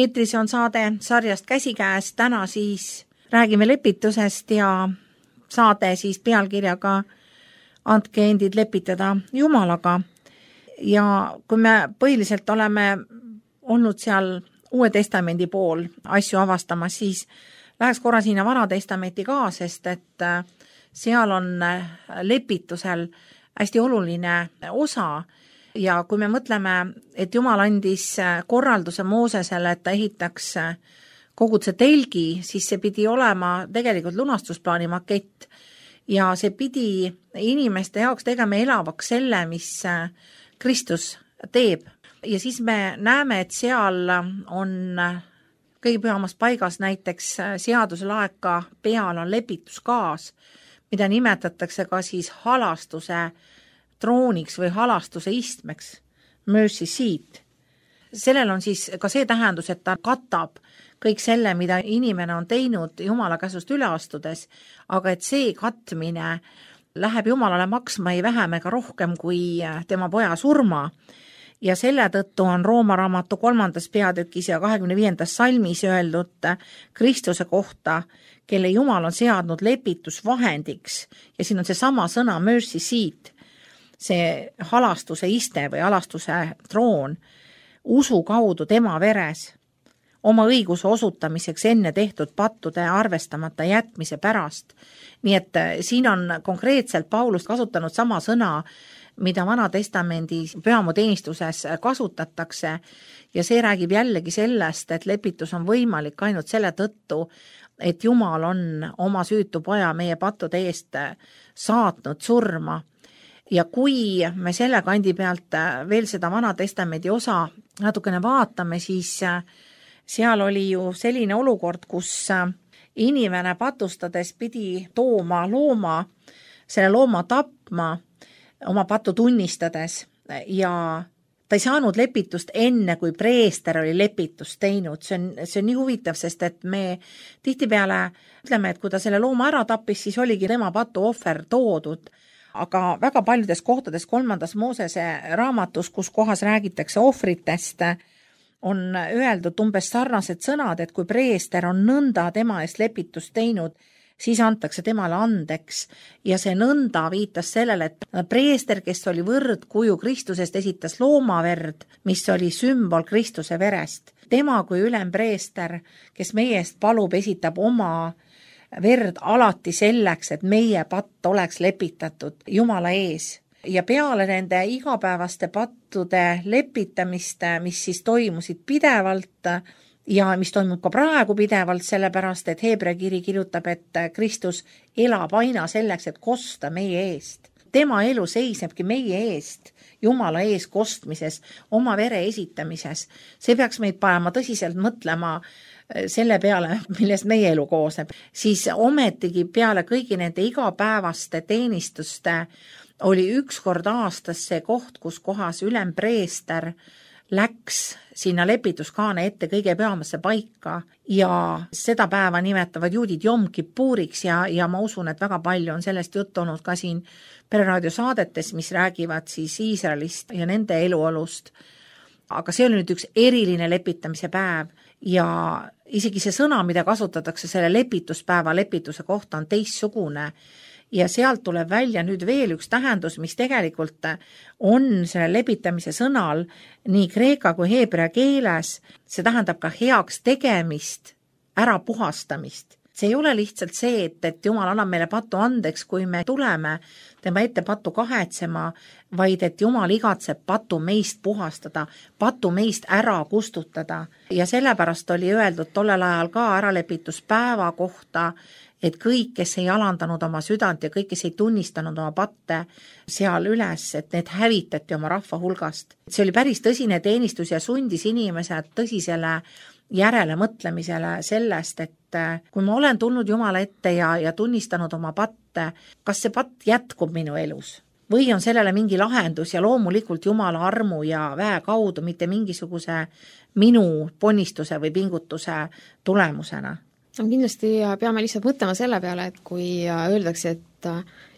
B: Eetris on saade sarjast Käsikäes, täna siis räägime lepitusest ja saade siis pealkirjaga Andke endid lepitada Jumalaga. Ja kui me põhiliselt oleme olnud seal Uue Testamendi pool asju avastamas, siis läheks korra sinna Vana Testamenti ka, sest et seal on lepitusel hästi oluline osa. Ja kui me mõtleme, et Jumal andis korralduse Moosesele, et ta ehitaks koguduse telgi, siis see pidi olema tegelikult lunastusplaani makett ja see pidi inimeste jaoks tegema elavaks selle, mis Kristus teeb. Ja siis me näeme, et seal on kõige pühamas paigas näiteks seaduselaeka peal on lepituskaas, mida nimetatakse ka siis halastuse trooniks või halastuse istmeks, mercy seat. Sellel on siis ka see tähendus, et ta katab kõik selle, mida inimene on teinud Jumala käsust üle astudes, aga et see katmine läheb Jumalale maksma ei vähem ega rohkem kui tema poja surma. Ja selle tõttu on Rooma raamatu 3. peatükis ja 25. salmis öeldud Kristuse kohta, kelle Jumal on seadnud lepitusvahendiks, ja siin on see sama sõna mercy seat, see halastuse iste või halastuse troon, usu kaudu tema veres, oma õiguse osutamiseks enne tehtud pattude arvestamata jätmise pärast. Nii et siin on konkreetselt Paulus kasutanud sama sõna, mida Vana Testamendi pühamuteenistuses kasutatakse, ja see räägib jällegi sellest, et lepitus on võimalik ainult selle tõttu, et Jumal on oma süütu poja meie pattude eest saatnud surma. Ja kui me selle kandi pealt veel seda Vana Testamendi osa natukene vaatame, siis seal oli ju selline olukord, kus inimene patustades pidi tooma looma, selle looma tapma, oma pattu tunnistades, ja ta ei saanud lepitust enne, kui preester oli lepitust teinud. See on nii huvitav, sest et me tihtipeale ütleme, et kui ta selle looma ära tappis, siis oligi tema patu ohver toodud. Aga väga paljudes kohtades 3. Moosese raamatus, kus kohas räägitakse ohvritest, on öeldud umbes sarnased sõnad, et kui preester on nõnda tema eest lepitust teinud, siis antakse temale andeks, ja see nõnda viitas sellele, et preester, kes oli võrdkuju Kristusest, esitas loomaverd, mis oli sümbol Kristuse verest. Tema kui ülempreester, kes meie eest palub, esitab oma verd alati selleks, et meie patt oleks lepitatud Jumala ees. Ja peale nende igapäevaste pattude lepitamist, mis siis toimusid pidevalt, ja mis toimub ka praegu pidevalt, sellepärast, et Heebrea kiri kirjutab, et Kristus elab aina selleks, et kosta meie eest. Tema elu seisnebki meie eest, Jumala ees kostmises, oma vere esitamises. See peaks meid panema tõsiselt mõtlema selle peale, millest meie elu koosneb. Siis ometigi peale kõigi nende igapäevaste teenistuste oli üks kord aastas see koht, kus kohas ülempreester läks sinna lepituskaane ette kõige pühamasse paika, ja seda päeva nimetavad juudid Jom Kippuriks, ja ma usun, et väga palju on sellest juttu olnud ka siin Pereraadio saadetes, mis räägivad siis Iisraelist ja nende eluolust. Aga see oli nüüd üks eriline lepitamise päev, ja isegi see sõna, mida kasutatakse selle lepituspäeva lepituse kohta, on teistsugune. Ja sealt tuleb välja nüüd veel üks tähendus, mis tegelikult on selle lepitamise sõnal nii kreeka kui heebrea keeles. See tähendab ka heaks tegemist, ära puhastamist. See ei ole lihtsalt see, et Jumal annab meile pattu andeks, kui me tuleme tema ette pattu kahetsema, vaid et Jumal igatseb pattu meist puhastada, pattu meist ära kustutada. Ja sellepärast oli öeldud tollel ajal ka äralepituspäeva kohta, et kõik, kes ei alandanud oma südant ja kõik, kes ei tunnistanud oma patte seal üles, et need hävitati oma rahva hulgast. See oli päris tõsine teenistus ja sundis inimesed tõsisele järele mõtlemisele sellest, et kui ma olen tulnud Jumala ette ja tunnistanud oma patte, kas see patt jätkub minu elus? Või on sellele mingi lahendus ja loomulikult Jumala armu ja väe kaudu, mitte mingisuguse minu ponnistuse või pingutuse tulemusena?
C: Kindlasti peame lihtsalt mõtlema selle peale, et kui öeldakse, et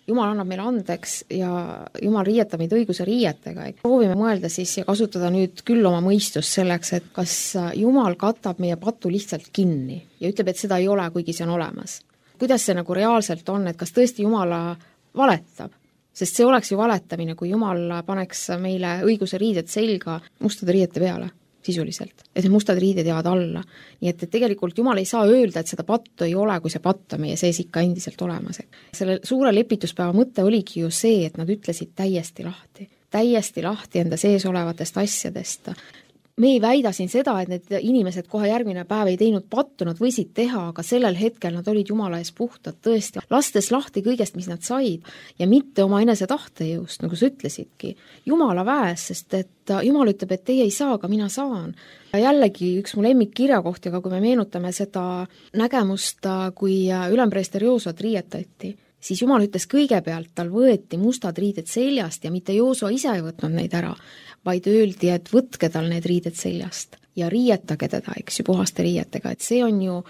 C: Jumal annab meile andeks ja Jumal riietab meid õiguse riietega, et proovime mõelda siis ja kasutada nüüd küll oma mõistust selleks, et kas Jumal katab meie patu lihtsalt kinni ja ütleb, et seda ei ole, kuigi see on olemas. Kuidas see nagu reaalselt on, et kas tõesti Jumala valetab? Sest see oleks ju valetamine, kui Jumal paneks meile õiguse riided selga mustade riiete peale. Sisuliselt, et need mustad riided jäävad alla. Nii et tegelikult Jumal ei saa öelda, et seda pattu ei ole, kui see patt on meie sees ikka endiselt olemas. Selle suure lepituspäeva mõte oligi ju see, et nad ütlesid täiesti lahti enda sees olevatest asjadest. me ei väida siin seda, et need inimesed kohe järgmine päev ei teinud pattu, nad võisid teha, aga sellel hetkel nad olid Jumala ees puhtad tõesti, lastes lahti kõigest, mis nad said ja mitte oma enese tahtejõust, nagu sa ütlesidki. Jumala väes, sest et Jumal ütleb, et teie ei saa, aga mina saan. Ja jällegi üks mu lemmik kirjakoht, aga kui me meenutame seda nägemust, kui ülempreester Joosot riietati, siis Jumal ütles kõigepealt, tal võeti mustad riided seljast ja mitte Jooso ise ei võtnud neid ära, vaid öeldi, et võtke tal need riided seljast ja riietage teda, eks ju, puhaste riietega, et see on ju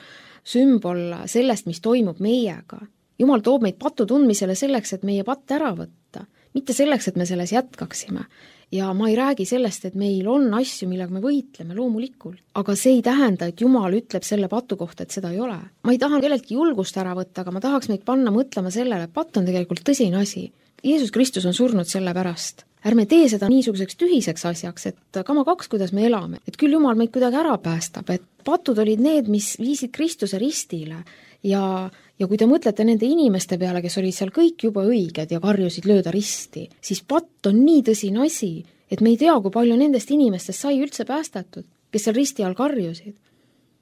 C: sümbol sellest, mis toimub meiega. Jumal toob meid patu tundmisele selleks, et meie patt ära võtta, mitte selleks, et me selles jätkaksime. Ja ma ei räägi sellest, et meil on asju, millega me võitleme loomulikult, aga see ei tähenda, et Jumal ütleb selle patu kohta, et seda ei ole. Ma ei taha kelleltki julgust ära võtta, aga ma tahaks meid panna mõtlema sellele, et patt on tegelikult tõsine asi. Jeesus Kristus on surnud selle pärast. Ärme tee seda niisuguseks tühiseks asjaks, et kama kaks, kuidas me elame, et küll Jumal meid kuidagi ära päästab, et patud olid need, mis viisid Kristuse ristile ja kui te mõtlete nende inimeste peale, kes olid seal kõik juba õiged ja karjusid lööda risti, siis patt on nii tõsine asi, et me ei tea, kui palju nendest inimestest sai üldse päästetud, kes seal risti all karjusid.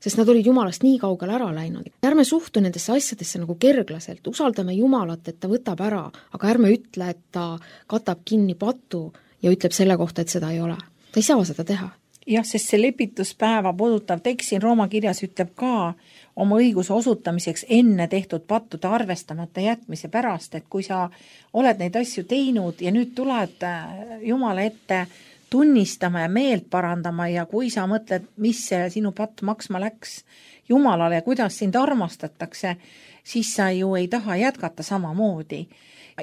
C: Sest nad olid Jumalast nii kaugele ära läinud. Ärme suhtu nendesse asjadesse nagu kerglaselt, usaldame Jumalat, et ta võtab ära, aga ärme ütle, et ta katab kinni patu ja ütleb selle kohta, et seda ei ole. Ta ei saa seda teha.
B: Jah, sest see lepituspäeva puudutav tekst siin Rooma kirjas ütleb ka oma õiguse osutamiseks enne tehtud pattude arvestamata jätmise pärast, et kui sa oled neid asju teinud ja nüüd tuled Jumala ette tunnistama ja meelt parandama ja kui sa mõtled, mis see sinu patt maksma läks Jumalale ja kuidas sind armastatakse, siis sa ju ei taha jätkata samamoodi.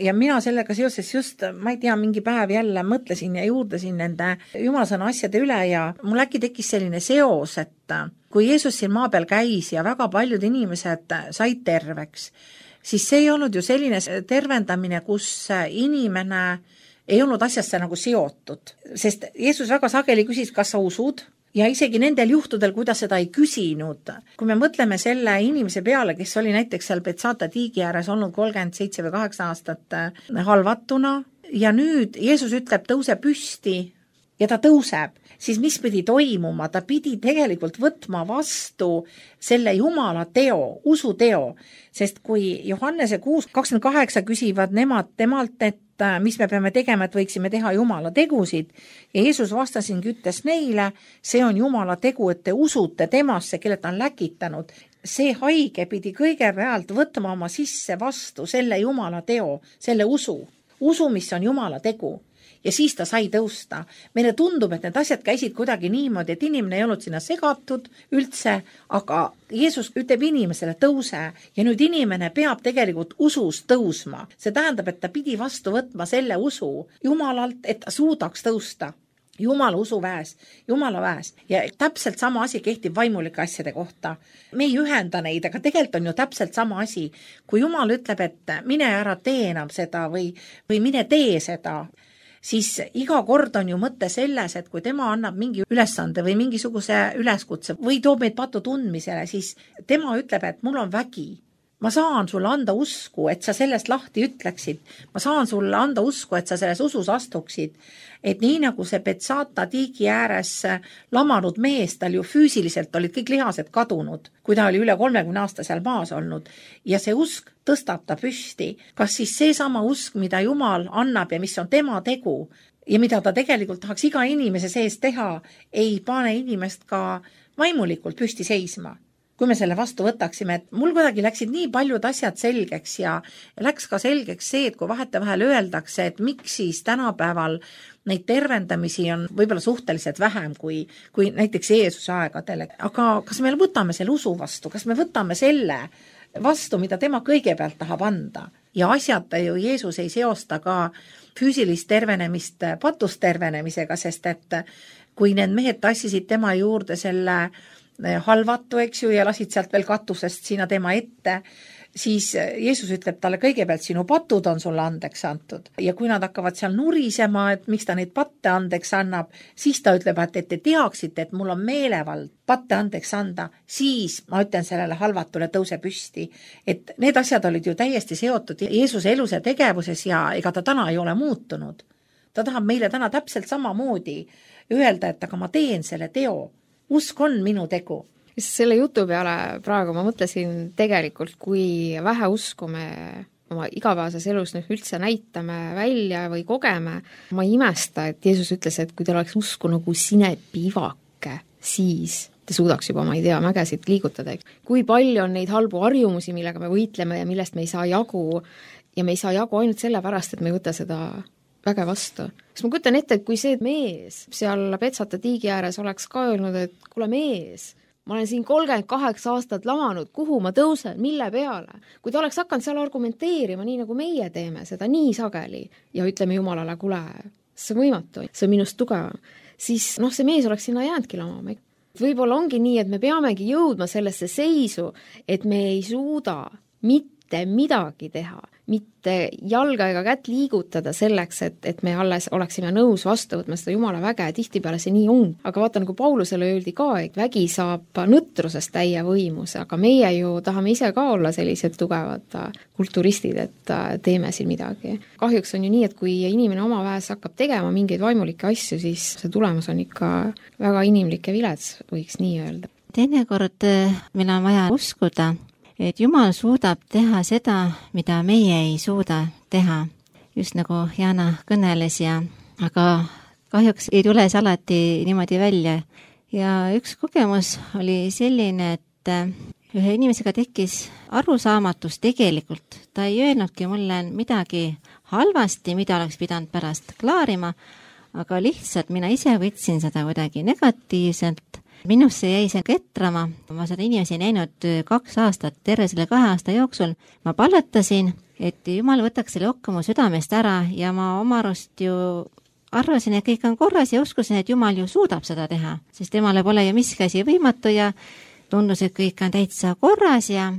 B: Ja mina sellega seoses just, ma ei tea, mingi päev jälle mõtlesin ja juurdasin nende Jumalasõna asjade üle ja mul äkki tekkis selline seos, et kui Jeesus siin maa peal käis ja väga paljud inimesed said terveks, siis see ei olnud ju selline tervendamine, kus inimene ei olnud asjasse nagu seotud, sest Jeesus väga sageli küsis, kas sa usud, ja isegi nendel juhtudel, kui ta seda ei küsinud. Kui me mõtleme selle inimese peale, kes oli näiteks seal Betsata tiigi ääres olnud 37 või 8 aastat halvatuna ja nüüd Jeesus ütleb, tõuse püsti ja ta tõuseb, siis mis pidi toimuma? Ta pidi tegelikult võtma vastu selle Jumala teo, usuteo, sest kui Johannese 6:28 küsivad nemad temalt, et mis me peame tegema, et võiksime teha Jumala tegusid, ja Jeesus vastasingi, ütles neile, see on Jumala tegu, et te usute temasse, kelle ta on läkitanud. See haige pidi kõigepealt võtma oma sisse vastu selle Jumala teo, selle usu, mis on Jumala tegu. Ja siis ta sai tõusta. Meile tundub, et need asjad käisid kuidagi niimoodi, et inimene ei olnud sinna segatud üldse, aga Jeesus ütleb inimesele tõuse ja nüüd inimene peab tegelikult usus tõusma. See tähendab, et ta pidi vastu võtma selle usu Jumalalt, et ta suudaks tõusta. Jumala usuväes, Jumala väes. Ja täpselt sama asi kehtib vaimulike asjade kohta. Me ei ühenda neid, aga tegelikult on ju täpselt sama asi. Kui Jumal ütleb, et mine ära tee enam seda või mine tee seda, siis iga kord on ju mõte selles, et kui tema annab mingi ülesande või mingisuguse üleskutse või toob meid patu tundmisele, siis tema ütleb, et mul on vägi. Ma saan sulle anda usku, et sa sellest lahti ütleksid. Ma saan sulle anda usku, et sa selles usus astuksid. Et nii nagu see Betsata tiigi ääres lamanud mees, tal ju füüsiliselt olid kõik lihased kadunud, kui ta oli üle 30 aasta seal maas olnud. Ja see usk tõstab ta püsti. Kas siis see sama usk, mida Jumal annab ja mis on tema tegu ja mida ta tegelikult tahaks iga inimese sees teha, ei pane inimest ka vaimulikult püsti seisma? Kui me selle vastu võtaksime, et mul kuidagi läksid nii paljud asjad selgeks ja läks ka selgeks see, et kui vahetevahel öeldakse, et miks siis tänapäeval neid tervendamisi on võib-olla suhteliselt vähem kui näiteks Jeesuse aegadel. Aga kas me võtame selle usu vastu, kas me võtame selle vastu, mida tema kõigepealt tahab anda? Ja asjata ju Jeesus ei seosta ka füüsilist tervenemist patust tervenemisega, sest et kui need mehed tassisid tema juurde selle halvatu, eks ju, ja lasid sealt veel katusest sinna tema ette, siis Jeesus ütleb talle kõigepealt, sinu patud on sulle andeks antud. Ja kui nad hakkavad seal nurisema, et miks ta neid patte andeks annab, siis ta ütleb, et te teaksite, et mul on meelevald patte andeks anda, siis ma ütlen sellele halvatule tõuse püsti. Et need asjad olid ju täiesti seotud Jeesuse elus ja tegevuses ja ega ta täna ei ole muutunud. Ta tahab meile täna täpselt samamoodi öelda, et aga ma teen selle teo. Usk on minu tegu.
C: Selle jutu peale praegu ma mõtlesin tegelikult, kui vähe usku me oma igapäevases elus üldse näitame välja või kogeme. Ma ei imesta, et Jeesus ütles, et kui teil oleks usku nagu sinepivake, siis te suudaks juba, ma ei tea, mägesid liigutada. Kui palju on neid halbu harjumusi, millega me võitleme ja millest me ei saa jagu, ja me ei saa jagu ainult sellepärast, et me ei võta seda väge vastu. Sest ma kujutan ette, et kui see mees seal Petsata tiigi ääres oleks ka öelnud, et kuule mees, ma olen siin 38 aastat lamanud, kuhu ma tõusen, mille peale? Kui ta oleks hakanud seal argumenteerima, nii nagu meie teeme seda nii sageli ja ütleme Jumalale, kuule, see on võimatu, see on minust tugevam, siis see mees oleks sinna jäänudki lamama. Võib-olla ongi nii, et me peamegi jõudma sellesse seisu, et me ei suuda mitte midagi teha, mitte jalga ega kätt liigutada selleks, et me alles oleksime nõus vastu võtma seda Jumala väge, tihtipeale see nii on. Aga vaata, nagu Paulusele öeldi ka, et vägi saab nõtrusest täie võimus, aga meie ju tahame ise ka olla sellised tugevad kulturistid, et teeme siin midagi. Kahjuks on ju nii, et kui inimene oma väes hakkab tegema mingeid vaimulikke asju, siis see tulemus on ikka väga inimlik ja vilets, võiks nii öelda.
A: Teinekord meil on vaja uskuda, et Jumal suudab teha seda, mida meie ei suuda teha. Just nagu Jana kõneles aga kahjuks ei tule see alati niimoodi välja. Ja üks kogemus oli selline, et ühe inimesega tekkis arusaamatus tegelikult. Ta ei öelnudki mulle midagi halvasti, mida oleks pidanud pärast klaarima, aga lihtsalt mina ise võtsin seda kuidagi negatiivselt. Minusse jäi see ketrama, ma seda inimesi näinud 2 aastat, terve selle 2 aasta jooksul. Ma palvetasin, et Jumal võtaks selle okka mu südamest ära ja ma oma arust ju arvasin, et kõik on korras ja uskusin, et Jumal ju suudab seda teha, sest temale pole ju miski asi võimatu ja tundus, et kõik on täitsa korras ja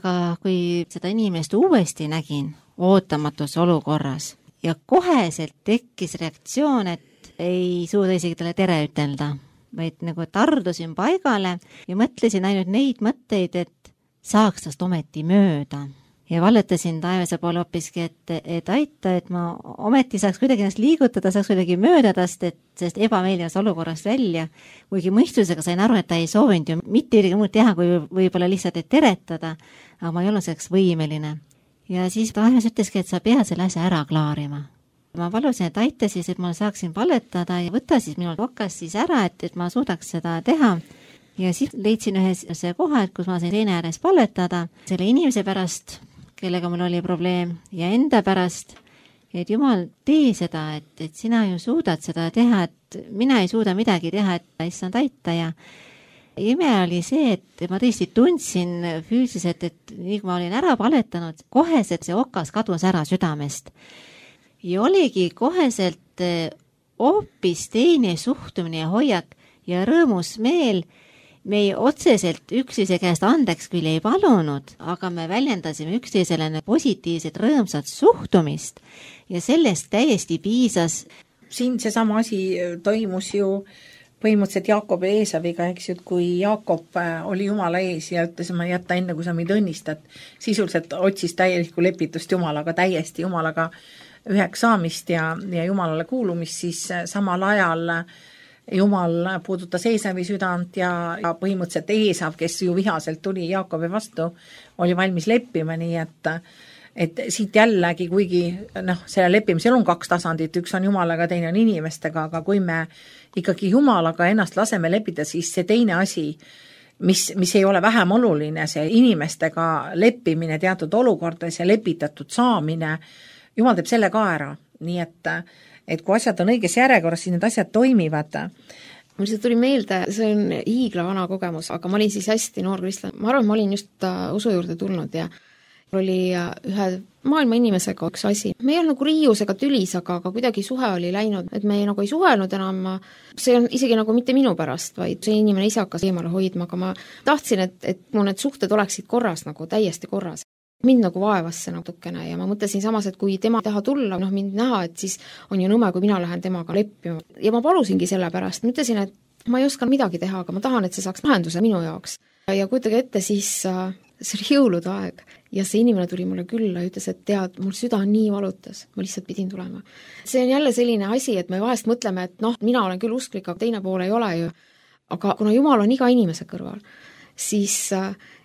A: ka kui seda inimest uuesti nägin ootamatus olukorras ja koheselt tekkis reaktsioon, et ei suuda isegi talle tere ütelda, vaid nagu tardusin paigale ja mõtlesin ainult neid mõtteid, et saaks tast ometi mööda. Ja valletasin taevase poole hoopiski, et aita, et ma ometi saaks kuidagi ennast liigutada, saaks kuidagi mööda tast, sest ebameeldivas olukorrast välja. Kuigi mõistusega sain aru, et ta ei soovinud ju mitte midagi muud teha, kui võib-olla lihtsalt teretada, aga ma ei olnud selleks võimeline. Ja siis taevas ütleski, et sa pead selle asja ära klaarima. Ma palusin, et aita siis, et ma saaksin palletada ja võtta siis minul okas siis ära, et ma suudaks seda teha. Ja siis leidsin ühe see koha, kus ma sain seina ääres palletada selle inimese pärast, kellega mul oli probleem ja enda pärast, et Jumal, tee seda, et sina ju suudad seda teha, et mina ei suuda midagi teha, et issand aita ja ime oli see, et ma tõesti tundsin füüsiliselt, et nii kui ma olin ära palletanud, koheselt see okas kadus ära südamest. Ja oligi koheselt hoopis teine suhtumine ja hoiak ja rõõmus meel. Me ei otseselt üksteise käest andeks küll ei palunud, aga me väljendasime üksteisele positiivset rõõmsat suhtumist ja sellest täiesti piisas.
B: Siin seesama asi toimus ju põhimõtteliselt Jaakob ja Eesaviga, eks ju, kui Jaakob oli Jumala ees ja ütles, ma jätta enne, kui sa meid õnnistad, sisuliselt otsis täielikku lepitust Jumalaga, täiesti Jumalaga üheks saamist ja Jumalale kuulumist, siis samal ajal Jumal puudutas Eesavi südant ja põhimõtteliselt Eesav, kes ju vihaselt tuli Jaakobi vastu, oli valmis leppima, nii et siit jällegi, kuigi selle leppimisel on 2 tasandit, üks on Jumalaga, teine on inimestega, aga kui me ikkagi Jumalaga ennast laseme leppida, siis see teine asi, mis ei ole vähem oluline, see inimestega leppimine teatud olukordades ja lepitatud saamine, Jumal teeb selle ka ära, nii et kui asjad on õiges järjekorras, siis need asjad toimivad.
C: Mul see tuli meelde, see on hiigla vana kogemus, aga ma olin siis hästi noor kristlane. Ma arvan, ma olin just usu juurde tulnud ja oli ühe maailma inimesega üks asi. Me ei olnud nagu riiusega tülis, aga kuidagi suhe oli läinud, et me nagu ei suhelnud enam. See on isegi nagu mitte minu pärast, vaid see inimene ise hakkas eemale hoidma, aga ma tahtsin, et mu need suhted oleksid korras, nagu täiesti korras. Mind nagu vaevas see natukene ja ma mõtlesin samas, et kui tema taha tulla, mind näha, et siis on ju nõme, kui mina lähen temaga leppima. Ja ma palusingi selle pärast, ma ütlesin, et ma ei oska midagi teha, aga ma tahan, et see saaks lahenduse minu jaoks. Ja kujutage ette, siis see oli jõulude aeg ja see inimene tuli mulle külla ja ütles, et tead, mul süda on nii valutas, ma lihtsalt pidin tulema. See on jälle selline asi, et me vahest mõtleme, et mina olen küll usklik, aga teine pool ei ole ju. Aga kuna Jumal on iga inimese kõrval, siis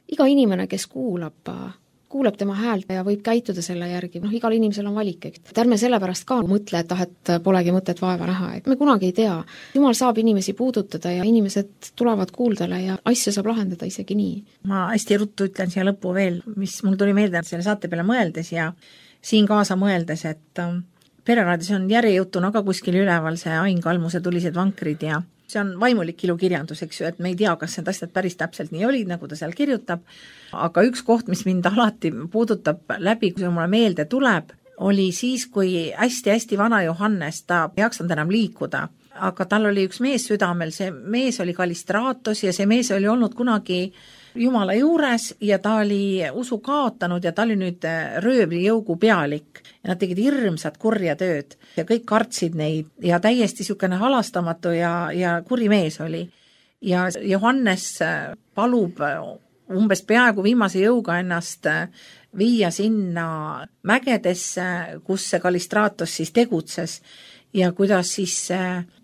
C: iga inimene, kes kuulab tema häält ja võib käituda selle järgi, igal inimesel on valik, et ärme sellepärast ka mõtle, et polegi mõtet vaeva näha, et me kunagi ei tea. Jumal saab inimesi puudutada ja inimesed tulevad kuuldele ja asja saab lahendada isegi nii.
B: Ma hästi ruttu ütlen siia lõppu veel, mis mul tuli meelde selle saate peale mõeldes ja siin kaasa mõeldes, et Pereraadios on järjejutuna ka kuskil üleval see Ain Kalmuse Tulised vankrid ja see on vaimulik ilukirjandus, eks ju, et me ei tea, kas need asjad päris täpselt nii olid, nagu ta seal kirjutab, aga üks koht, mis mind alati puudutab läbi, kui mulle meelde tuleb, oli siis, kui hästi-hästi vana Johannes, ta ei jaksanud enam liikuda, aga tal oli üks mees südamel, see mees oli Kalistraatos ja see mees oli olnud kunagi Jumala juures ja ta oli usu kaotanud ja ta oli nüüd röövlijõugu pealik ja nad tegid hirmsat kurja tööd ja kõik kartsid neid ja täiesti niisugune halastamatu ja kuri mees oli. Ja Johannes palub umbes peaaegu viimase jõuga ennast viia sinna mägedesse, kus see Kalistraatos siis tegutses ja kuidas siis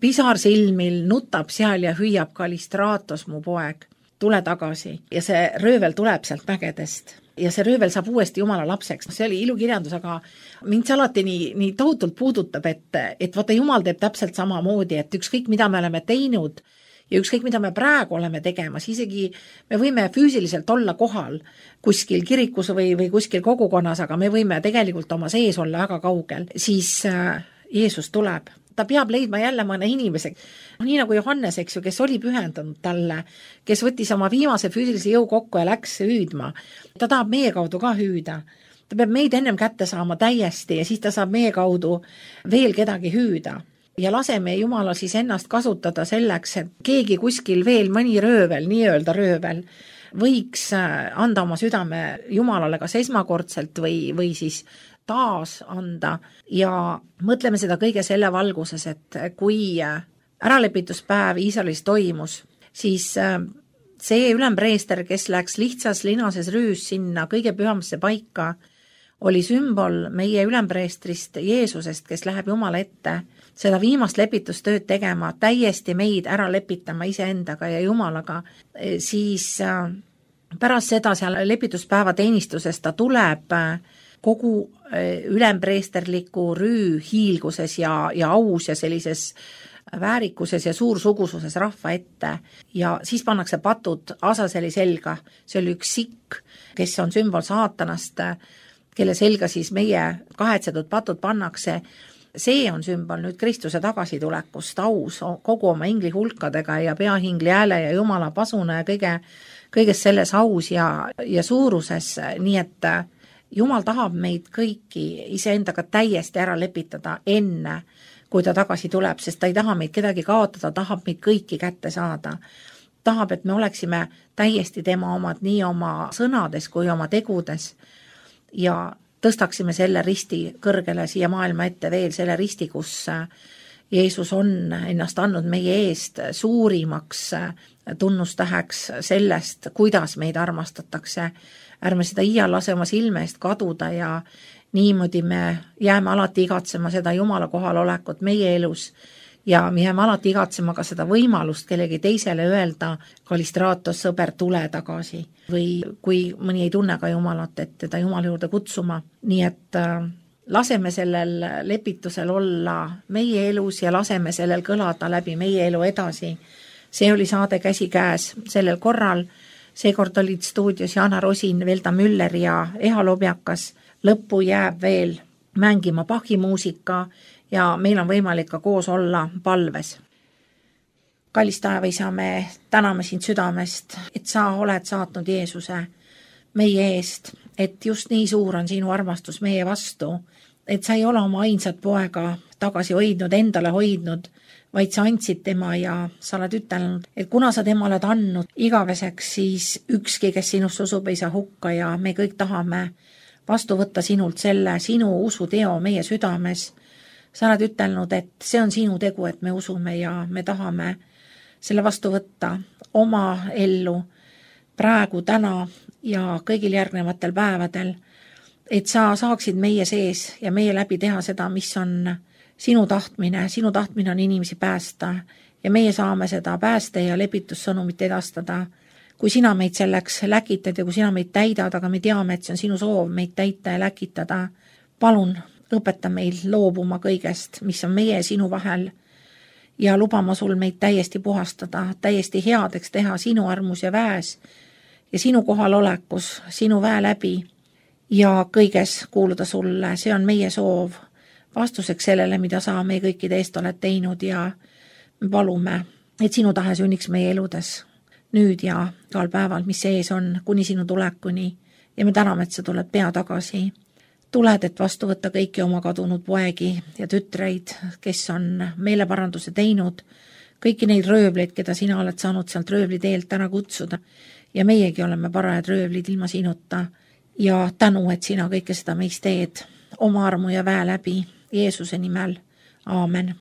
B: pisarsilmil nutab seal ja hüüab Kalistraatos, mu poeg, tule tagasi. Ja see röövel tuleb sealt mägedest ja see röövel saab uuesti Jumala lapseks. See oli ilukirjandus, aga mind see alati nii tohutult puudutab, et vaata Jumal teeb täpselt samamoodi, et ükskõik mida me oleme teinud ja ükskõik mida me praegu oleme tegemas, isegi me võime füüsiliselt olla kohal kuskil kirikus või kuskil kogukonnas, aga me võime tegelikult oma sees olla väga kaugel, siis Jeesus tuleb. Ta peab leidma jälle mõne inimese, nii nagu Johannes, eks ju, kes oli pühendunud talle, kes võttis oma viimase füüsilise jõu kokku ja läks hüüdma. Ta tahab meie kaudu ka hüüda. Ta peab meid ennem kätte saama täiesti ja siis ta saab meie kaudu veel kedagi hüüda. Ja laseme Jumala siis ennast kasutada selleks, et keegi kuskil veel mõni röövel, nii-öelda röövel, võiks anda oma südame Jumalale kas esmakordselt või siis taas anda ja mõtleme seda kõige selle valguses, et kui äralepituspäev Iisraelis toimus, siis see ülempreester, kes läks lihtsas linases rüüs sinna kõige pühamasse paika, oli sümbol meie ülempreestrist Jeesusest, kes läheb Jumala ette seda viimast lepitustööd tegema, täiesti meid ära lepitama iseendaga ja Jumalaga, siis pärast seda seal lepituspäeva teenistuses ta tuleb kogu ülempreesterliku rüü hiilguses ja aus ja sellises väärikuses ja suursugususes rahva ette ja siis pannakse patud Asaseli selga, see oli üks sikk, kes on sümbol saatanast, kelle selga siis meie kahetsetud patud pannakse, see on sümbol nüüd Kristuse tagasitulekust aus kogu oma ingli hulkadega ja peahingli hääle ja Jumala pasuna ja kõiges selles aus ja suuruses, nii et Jumal tahab meid kõiki iseendaga täiesti ära lepitada enne, kui ta tagasi tuleb, sest ta ei taha meid kedagi kaotada, tahab meid kõiki kätte saada. Tahab, et me oleksime täiesti tema omad nii oma sõnades kui oma tegudes ja tõstaksime selle risti kõrgele siia maailma ette veel, selle risti, kus Jeesus on ennast andnud meie eest suurimaks tunnustäheks sellest, kuidas meid armastatakse. Ärme seda iial lase oma silme eest kaduda ja niimoodi me jääme alati igatsema seda Jumala kohalolekut meie elus ja me jääme alati igatsema ka seda võimalust kellegi teisele öelda Kalistraatos, sõber, tule tagasi või kui mõni ei tunne ka Jumalat, et teda Jumala juurde kutsuma. Nii et laseme sellel lepitusel olla meie elus ja laseme sellel kõlada läbi meie elu edasi. See oli saade Käsikäes sellel korral. Seekord olid stuudios Jana Rosin, Velda Müller ja Eha Lobjakas. Lõppu jääb veel mängima Bachi muusika ja meil on võimalik ka koos olla palves. Kallis taevaisa, me täname sind südamest, et sa oled saatnud Jeesuse meie eest, et just nii suur on sinu armastus meie vastu, et sa ei ole oma ainsat poega tagasi hoidnud, endale hoidnud, vaid sa andsid tema ja sa oled ütelnud, et kuna sa tema oled andnud igaveseks, siis ükski, kes sinust usub, ei saa hukka ja me kõik tahame vastu võtta sinult selle sinu usuteo meie südames. Sa oled ütelnud, et see on sinu tegu, et me usume ja me tahame selle vastu võtta oma ellu. praegu, täna ja kõigil järgnevatel päevadel, et sa saaksid meie sees ja meie läbi teha seda, mis on sinu tahtmine on inimesi päästa ja meie saame seda pääste ja lepitussõnumit edastada. Kui sina meid selleks läkitad ja kui sina meid täidad, aga me teame, et see on sinu soov meid täita ja läkitada, palun õpeta meil loobuma kõigest, mis on meie ja sinu vahel ja lubama sul meid täiesti puhastada, täiesti headeks teha sinu armus ja väes ja sinu kohalolekus, sinu väe läbi ja kõiges kuuluda sulle. See on meie soov vastuseks sellele, mida sa meie kõikide eest oled teinud ja me palume, et sinu tahe sünniks meie eludes nüüd ja igal päeval, mis sees on, kuni sinu tulekuni ja me täname, et sa tuled pea tagasi. Tuled, et vastu võtta kõiki oma kadunud poegi ja tütreid, kes on meeleparanduse teinud, kõiki neid röövleid, keda sina oled saanud sealt röövli teelt ära kutsuda ja meiegi oleme parajad röövlid ilma sinuta ja tänu, et sina kõike seda meist teed oma armu ja väe läbi Jeesuse nimel. Aamen.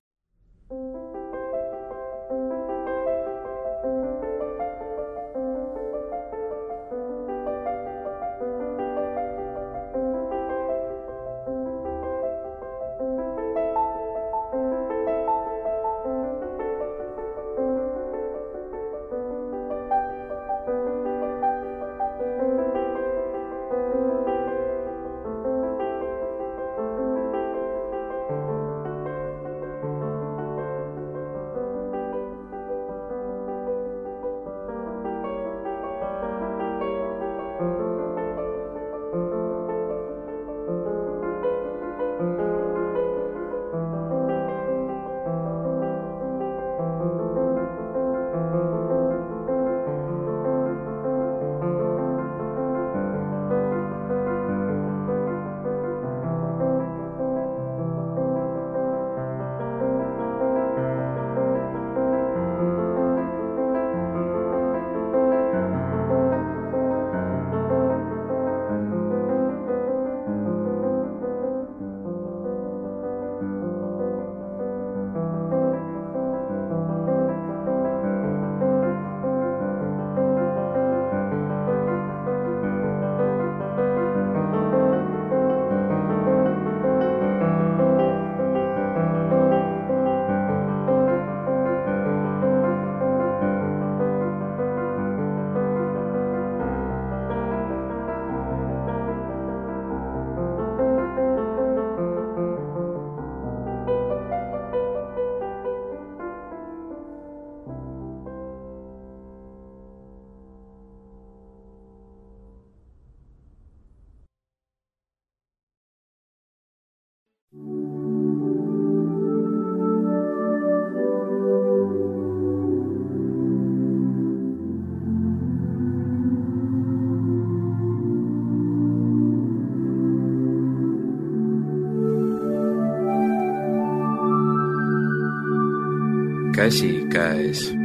D: Käsi käes.